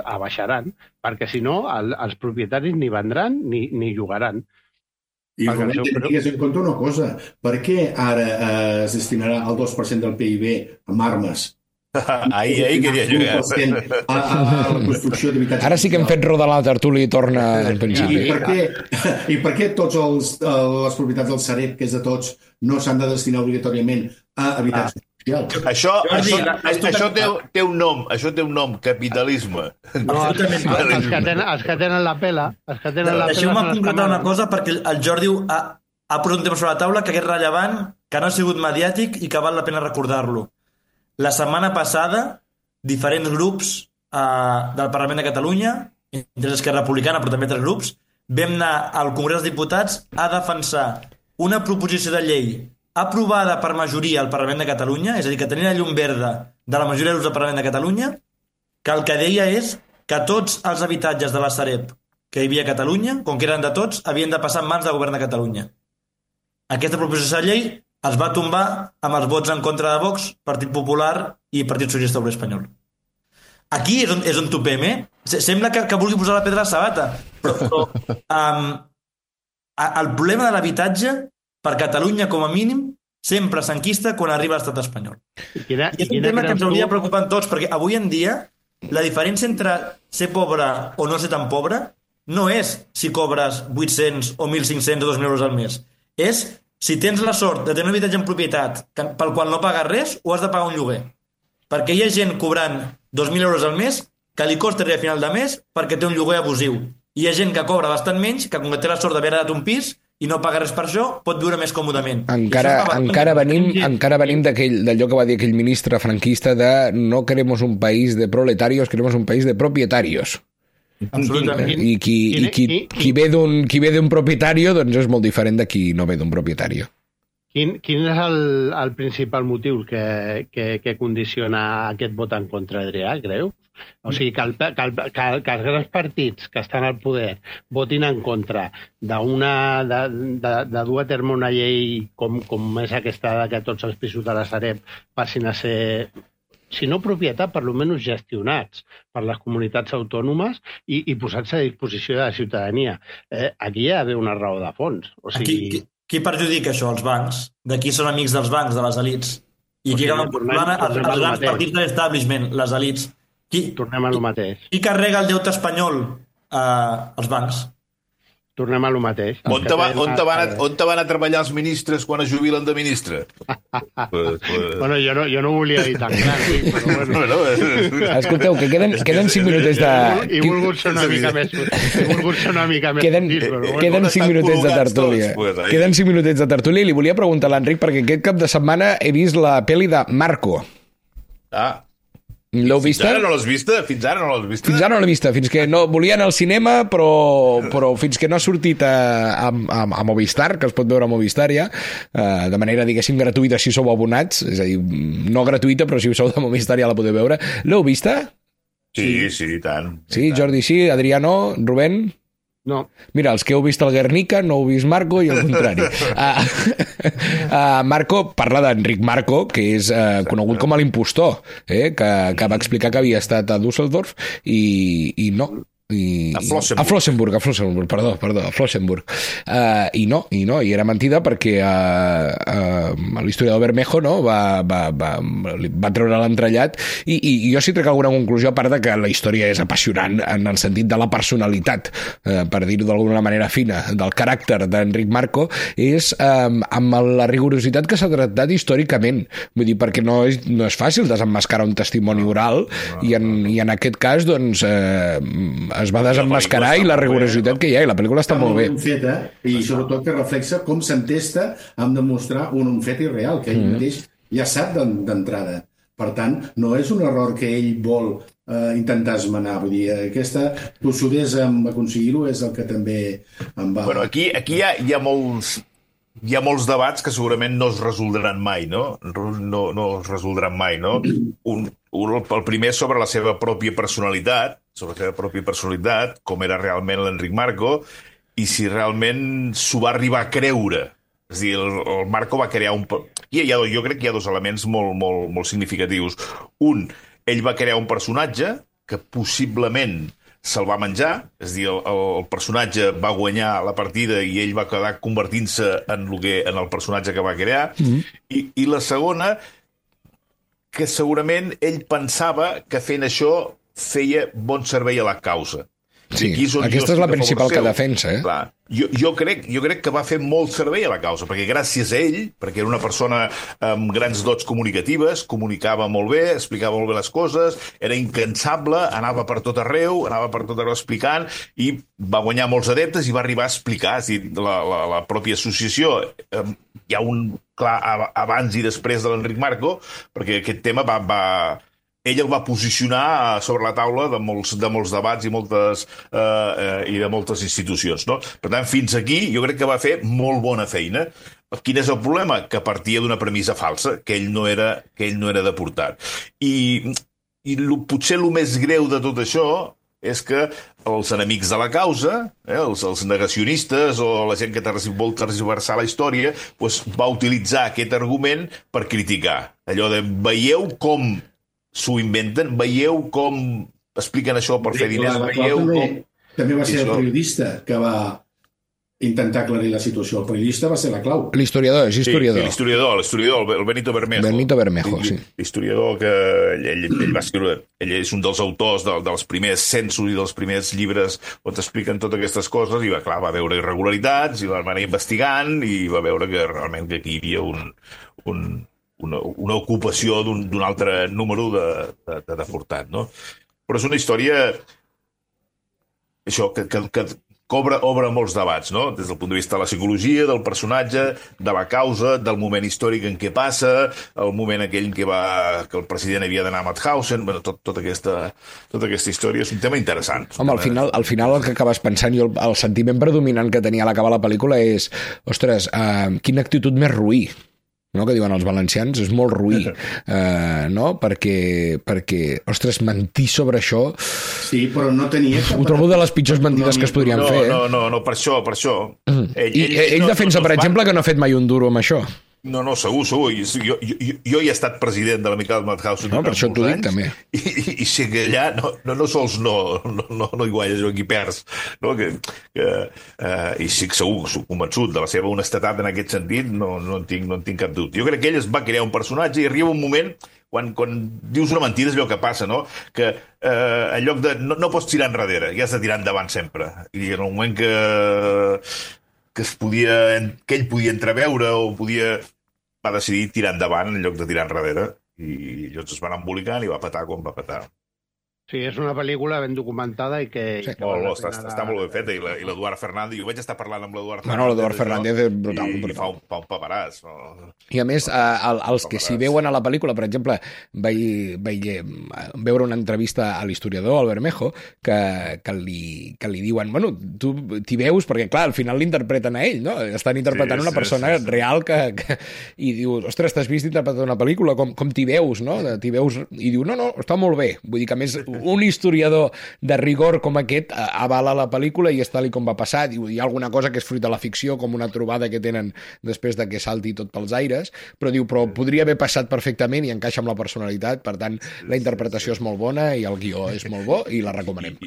abaixaran, perquè si no els propietaris ni vendran ni llogaran. I tingués en compte una cosa, per què ara es destinarà el 2% del PIB amb armes? Ahir queria jugar. A la construcció d'habitatge. Ara sí que hem fet rodar la tertúlia i torna al principi. I per què tots les propietats del Sareb, que és de tots, no s'han de destinar obligatòriament a habitatge? Això té un nom, capitalisme. No, els que tenen la pela... Deixeu-me concretar una cosa, perquè el Jordi ha posat un tema sobre la taula que és rellevant, que no ha sigut mediàtic i que val la pena recordar-lo. La setmana passada, diferents grups del Parlament de Catalunya, entre Esquerra Republicana, però també altres grups, vam anar al Congrés dels Diputats a defensar una proposició de llei aprovada per majoria al Parlament de Catalunya, és a dir, que tenia la llum verda de la majoria de grups del Parlament de Catalunya, que el que deia és que tots els habitatges de la Sareb que hi havia a Catalunya, com que eren de tots, havien de passar en mans del govern de Catalunya. Aquesta proposició de llei es va tombar amb els vots en contra de Vox, Partit Popular i Partit Socialista Obrer Espanyol. Aquí és on topem, Sembla que vulgui posar la pedra a la sabata, però el problema de l'habitatge per Catalunya, com a mínim, sempre s'enquista quan arriba a l'estat espanyol. I és un tema que ens hauria preocupant tots, perquè avui en dia la diferència entre ser pobre o no ser tan pobre no és si cobres 800 o 1.500 o 2.000 euros al mes. És si tens la sort de tenir un habitatge en propietat pel qual no pagues res o has de pagar un lloguer. Perquè hi ha gent cobrant 2.000 euros al mes que li costa arribar a final de mes perquè té un lloguer abusiu. I hi ha gent que cobra bastant menys, que com que té la sort d'haver heredat un pis i no paga res per això, pot viure més còmodament. Encara venim d'allò que va dir aquell ministre franquista de no queremos un país de proletarios, queremos un país de propietarios. Absolutament. I qui ve d'un propietario doncs és molt diferent de qui no ve d'un propietario. Quin és el principal motiu que condiciona aquest vot en contra, Adrià, creu? O sigui, que els grans partits que estan al poder votin en contra de dur a terme una llei com és aquesta que tots els pisos de la Sareb passin a ser, si no propietat, per almenys gestionats per les comunitats autònomes i posats a disposició de la ciutadania. Aquí hi ha d'haver una raó de fons. O sigui... Qui perjudica això? Els bancs? De qui són amics dels bancs, de les elits? I aquí els grans partits de l'establishment, les elits. Tornem a lo mateix. Qui carrega el deute espanyol? Els bancs. Tornem a lo mateix. On te van a treballar els ministres quan es jubilen de ministre? Bueno, jo no volia dir tan clar, però bueno. Escolteu, que queden 5 minutets de... He volgut ser una mica més... Queden 5 minutets de tertúlia. Queden 5 minutets de tertúlia i li volia preguntar a l'Enric perquè aquest cap de setmana he vist la pel·li de Marco. L'heu vista? Fins ara no l'has vista? Fins ara no l'he vista, fins que no volia anar al cinema, però fins que no ha sortit a Movistar, que es pot veure a Movistar ja, de manera, diguéssim, gratuïta si sou abonats, és a dir, no gratuïta, però si sou de Movistar ja la podeu veure. L'heu vista? Sí, tant. Sí, Jordi sí, Adrià no, Rubén? No. Mira, els que heu vist el Guernica no heu vist Marco i al contrari. Marco parla d'Enric Marco, que és conegut com a l'impostor, que va explicar que havia estat a Düsseldorf i no. A Flossenburg, i era mentida perquè l'historiador Bermejo va treure l'entrellat i jo sí trec alguna conclusió, a part de que la història és apassionant en el sentit de la personalitat, per dir-ho d'alguna manera fina, del caràcter d'Enric Marco, és amb la rigorositat que s'ha tractat històricament, vull dir, perquè no és fàcil desemmascarar un testimoni oral i en aquest cas doncs es va desemmascarar i la rigorositat que hi ha, i la pel·lícula està molt bé. Feta, i sobretot que reflexa com s'entesta en demostrar un fet irreal, que ell mateix ja sap d'entrada. Per tant, no és un error que ell vol intentar esmenar. Vull dir, aquesta tossudesa en aconseguir-ho és el que també em va... Bueno, aquí hi ha molts debats que segurament no es resoldran mai, no? No es resoldran mai, no? El primer sobre la seva pròpia personalitat, com era realment l'Enric Marco, i si realment s'ho va arribar a creure. És a dir, el Marco va crear jo crec que hi ha dos elements molt significatius. Un, ell va crear un personatge que possiblement se'l va menjar, és a dir, el personatge va guanyar la partida i ell va quedar convertint-se en el personatge que va crear. I la segona, que segurament ell pensava que fent això feia bon servei a la causa. Sí, aquesta és la principal que defensa, eh? Clar, jo crec que va fer molt servei a la causa, perquè gràcies a ell, perquè era una persona amb grans dots comunicatives, comunicava molt bé, explicava molt bé les coses, era incansable, anava per tot arreu explicant, i va guanyar molts adeptes i va arribar a explicar. És a dir, la pròpia associació, hi ha un clar abans i després de l'Enric Marco, perquè aquest tema ell el va posicionar sobre la taula de molts debats i de moltes institucions, no? Per tant, fins aquí jo crec que va fer molt bona feina. Quin és el problema? Que partia d'una premissa falsa, que ell no era deportat. I potser el més greu de tot això és que els enemics de la causa, els negacionistes o la gent que vol tergiversar la història, doncs va utilitzar aquest argument per criticar. Allò de veieu com s'ho inventen, veieu com expliquen això per fer diners, veieu com... També va ser el periodista que va intentar aclarir la situació. El periodista va ser la clau. L'historiador, és historiador. Sí, l'historiador, el Benito Bermejo. Benito Bermejo, sí. L'historiador que ell va escriure, ell és un dels autors dels primers censos i dels primers llibres on t'expliquen totes aquestes coses, i va veure irregularitats, i va anar investigant, i va veure que realment que aquí hi havia una ocupació d'un altre número de deportat, no? Però és una història això que obre molts debats, no? Des del punt de vista de la psicologia, del personatge, de la causa, del moment històric en què passa, el moment aquell en què el president havia d'anar a Mauthausen, bueno, tota aquesta història és un tema interessant. Home, al final el que acabes pensant, jo el sentiment predominant que tenia a l'acabar la pel·lícula és, ostres, quina actitud més roí, no? Que diuen els valencians, és molt roí, no? Perquè, ostres, mentir sobre això... Sí, però no tenia... Ho trobo de les pitjors mentides que es podrien fer. No, per això. Ell defensa, per exemple, que no ha fet mai un duro amb això. No, segur. Jo hi he estat president de l'Amical Mauthausen. No, per això t'ho dic, també. I sé que allà no sols no hi guanyes, aquí perds. No? I sí que segur, soc convençut de la seva honestedat en aquest sentit, no en tinc cap dubte. Jo crec que ell es va crear un personatge i arriba un moment quan dius una mentida és allò que passa, no? Que en lloc de... No pots tirar enrere, ja has de tirar endavant sempre. I en el moment que ell podia entreveure o va decidir tirar endavant en lloc de tirar enrere, i llavors es van embolicant i va petar com va petar. Sí, és una pel·lícula ben documentada i que... Sí, està molt ben feta, i l'Eduard Fernández, jo vaig estar parlant amb l'Eduard Fernández. Bueno, l'Eduard Fernández és brutal. I fa un paperàs. I a més, els que s'hi veuen a la pel·lícula, per exemple, veure una entrevista a l'historiador, al Bermejo, que li diuen, bueno, tu t'hi veus, perquè clar, al final l'interpreten a ell, no? Estan interpretant una persona real i diu, ostres, t'has vist interpretar una pel·lícula, com t'hi veus, no? T'hi veus, i diu, no, està molt bé. Vull dir que, a més, un historiador de rigor com aquest avala la pel·lícula i és tal com va passar. Diu, hi ha alguna cosa que és fruit de la ficció, com una trobada que tenen després de que salti tot pels aires, però diu, però podria haver passat perfectament i encaixa amb la personalitat. Per tant, la interpretació és molt bona i el guió és molt bo i la recomanem.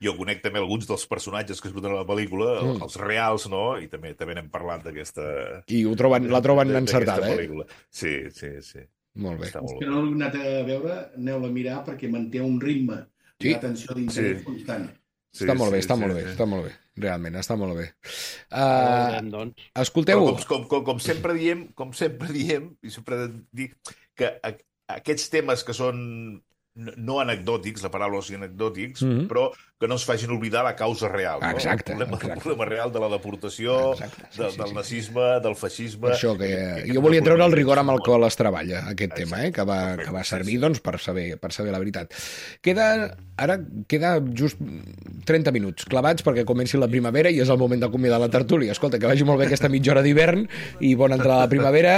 Jo conec també alguns dels personatges que es surten a la pel·lícula, els reals, no? I també n'hem parlat d'aquesta... I la troben encertada, Sí. Molt bé. Els que no l'heu anat a veure, aneu-la a mirar perquè manté un ritme i atenció d'interès constant. Està molt bé. Realment, està molt bé. Escolteu... Com sempre diem, i sempre dic que aquests temes que són no anecdòtics, la paraula és anecdòtics, però que no es facin oblidar la causa real. Exacte. El problema real de la deportació, del nazisme, del feixisme... Això, que jo volia treure el rigor amb el qual es treballa, aquest tema, que va servir doncs, per saber la veritat. Ara queda just 30 minuts clavats perquè comenci la primavera i és el moment d'acomiadar la tertúlia. Escolta, que vagi molt bé aquesta mitja hora d'hivern i bona entrada a la primavera.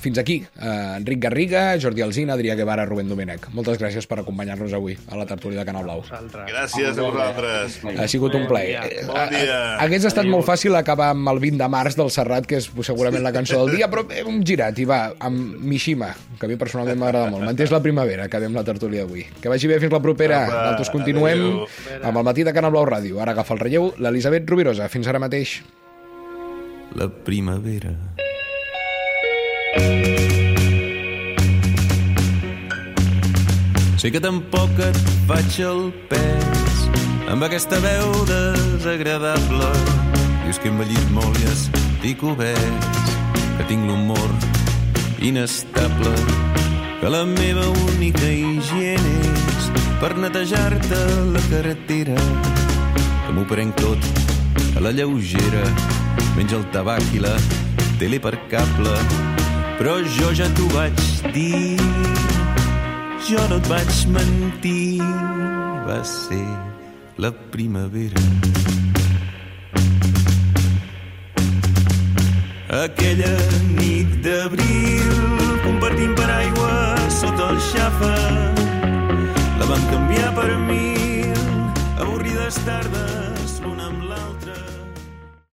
Fins aquí. Enric Garriga, Jordi Alsina, Adrià Guevara, Rubén Domènech. Moltes gràcies per acompanyar-nos avui a la tertúlia de Canal Blau. Gràcies a vosaltres. Ha sigut un plaer. Bon dia. Hagués estat molt fàcil acabar amb el 20 de març del Serrat, que és segurament la cançó del dia, però hem girat i va, amb Mishima, que a mi personalment m'agrada molt. Mantés la primavera, acabem la tertúlia d'avui. Que vagi bé, fins la propera. Nosaltres continuem amb el matí de Canal Blau Ràdio. Ara agafa el relleu l'Elisabet Rovirosa. Fins ara mateix. La primavera. Sé que tampoc et faig el pes amb aquesta veu desagradable. Dius que he envellit molt i estic obès, que tinc l'humor inestable, que la meva única higiene és per netejar-te la carretera, que m'ho prenc tot a la lleugera, menys el tabac i la tele per cable. Però jo ja t'ho vaig dir, jo no et vaig mentir, va ser la primavera. Aquella nit d'abril, compartint paraigua sota el xafa, la vam canviar per 1000 avorrides tardes.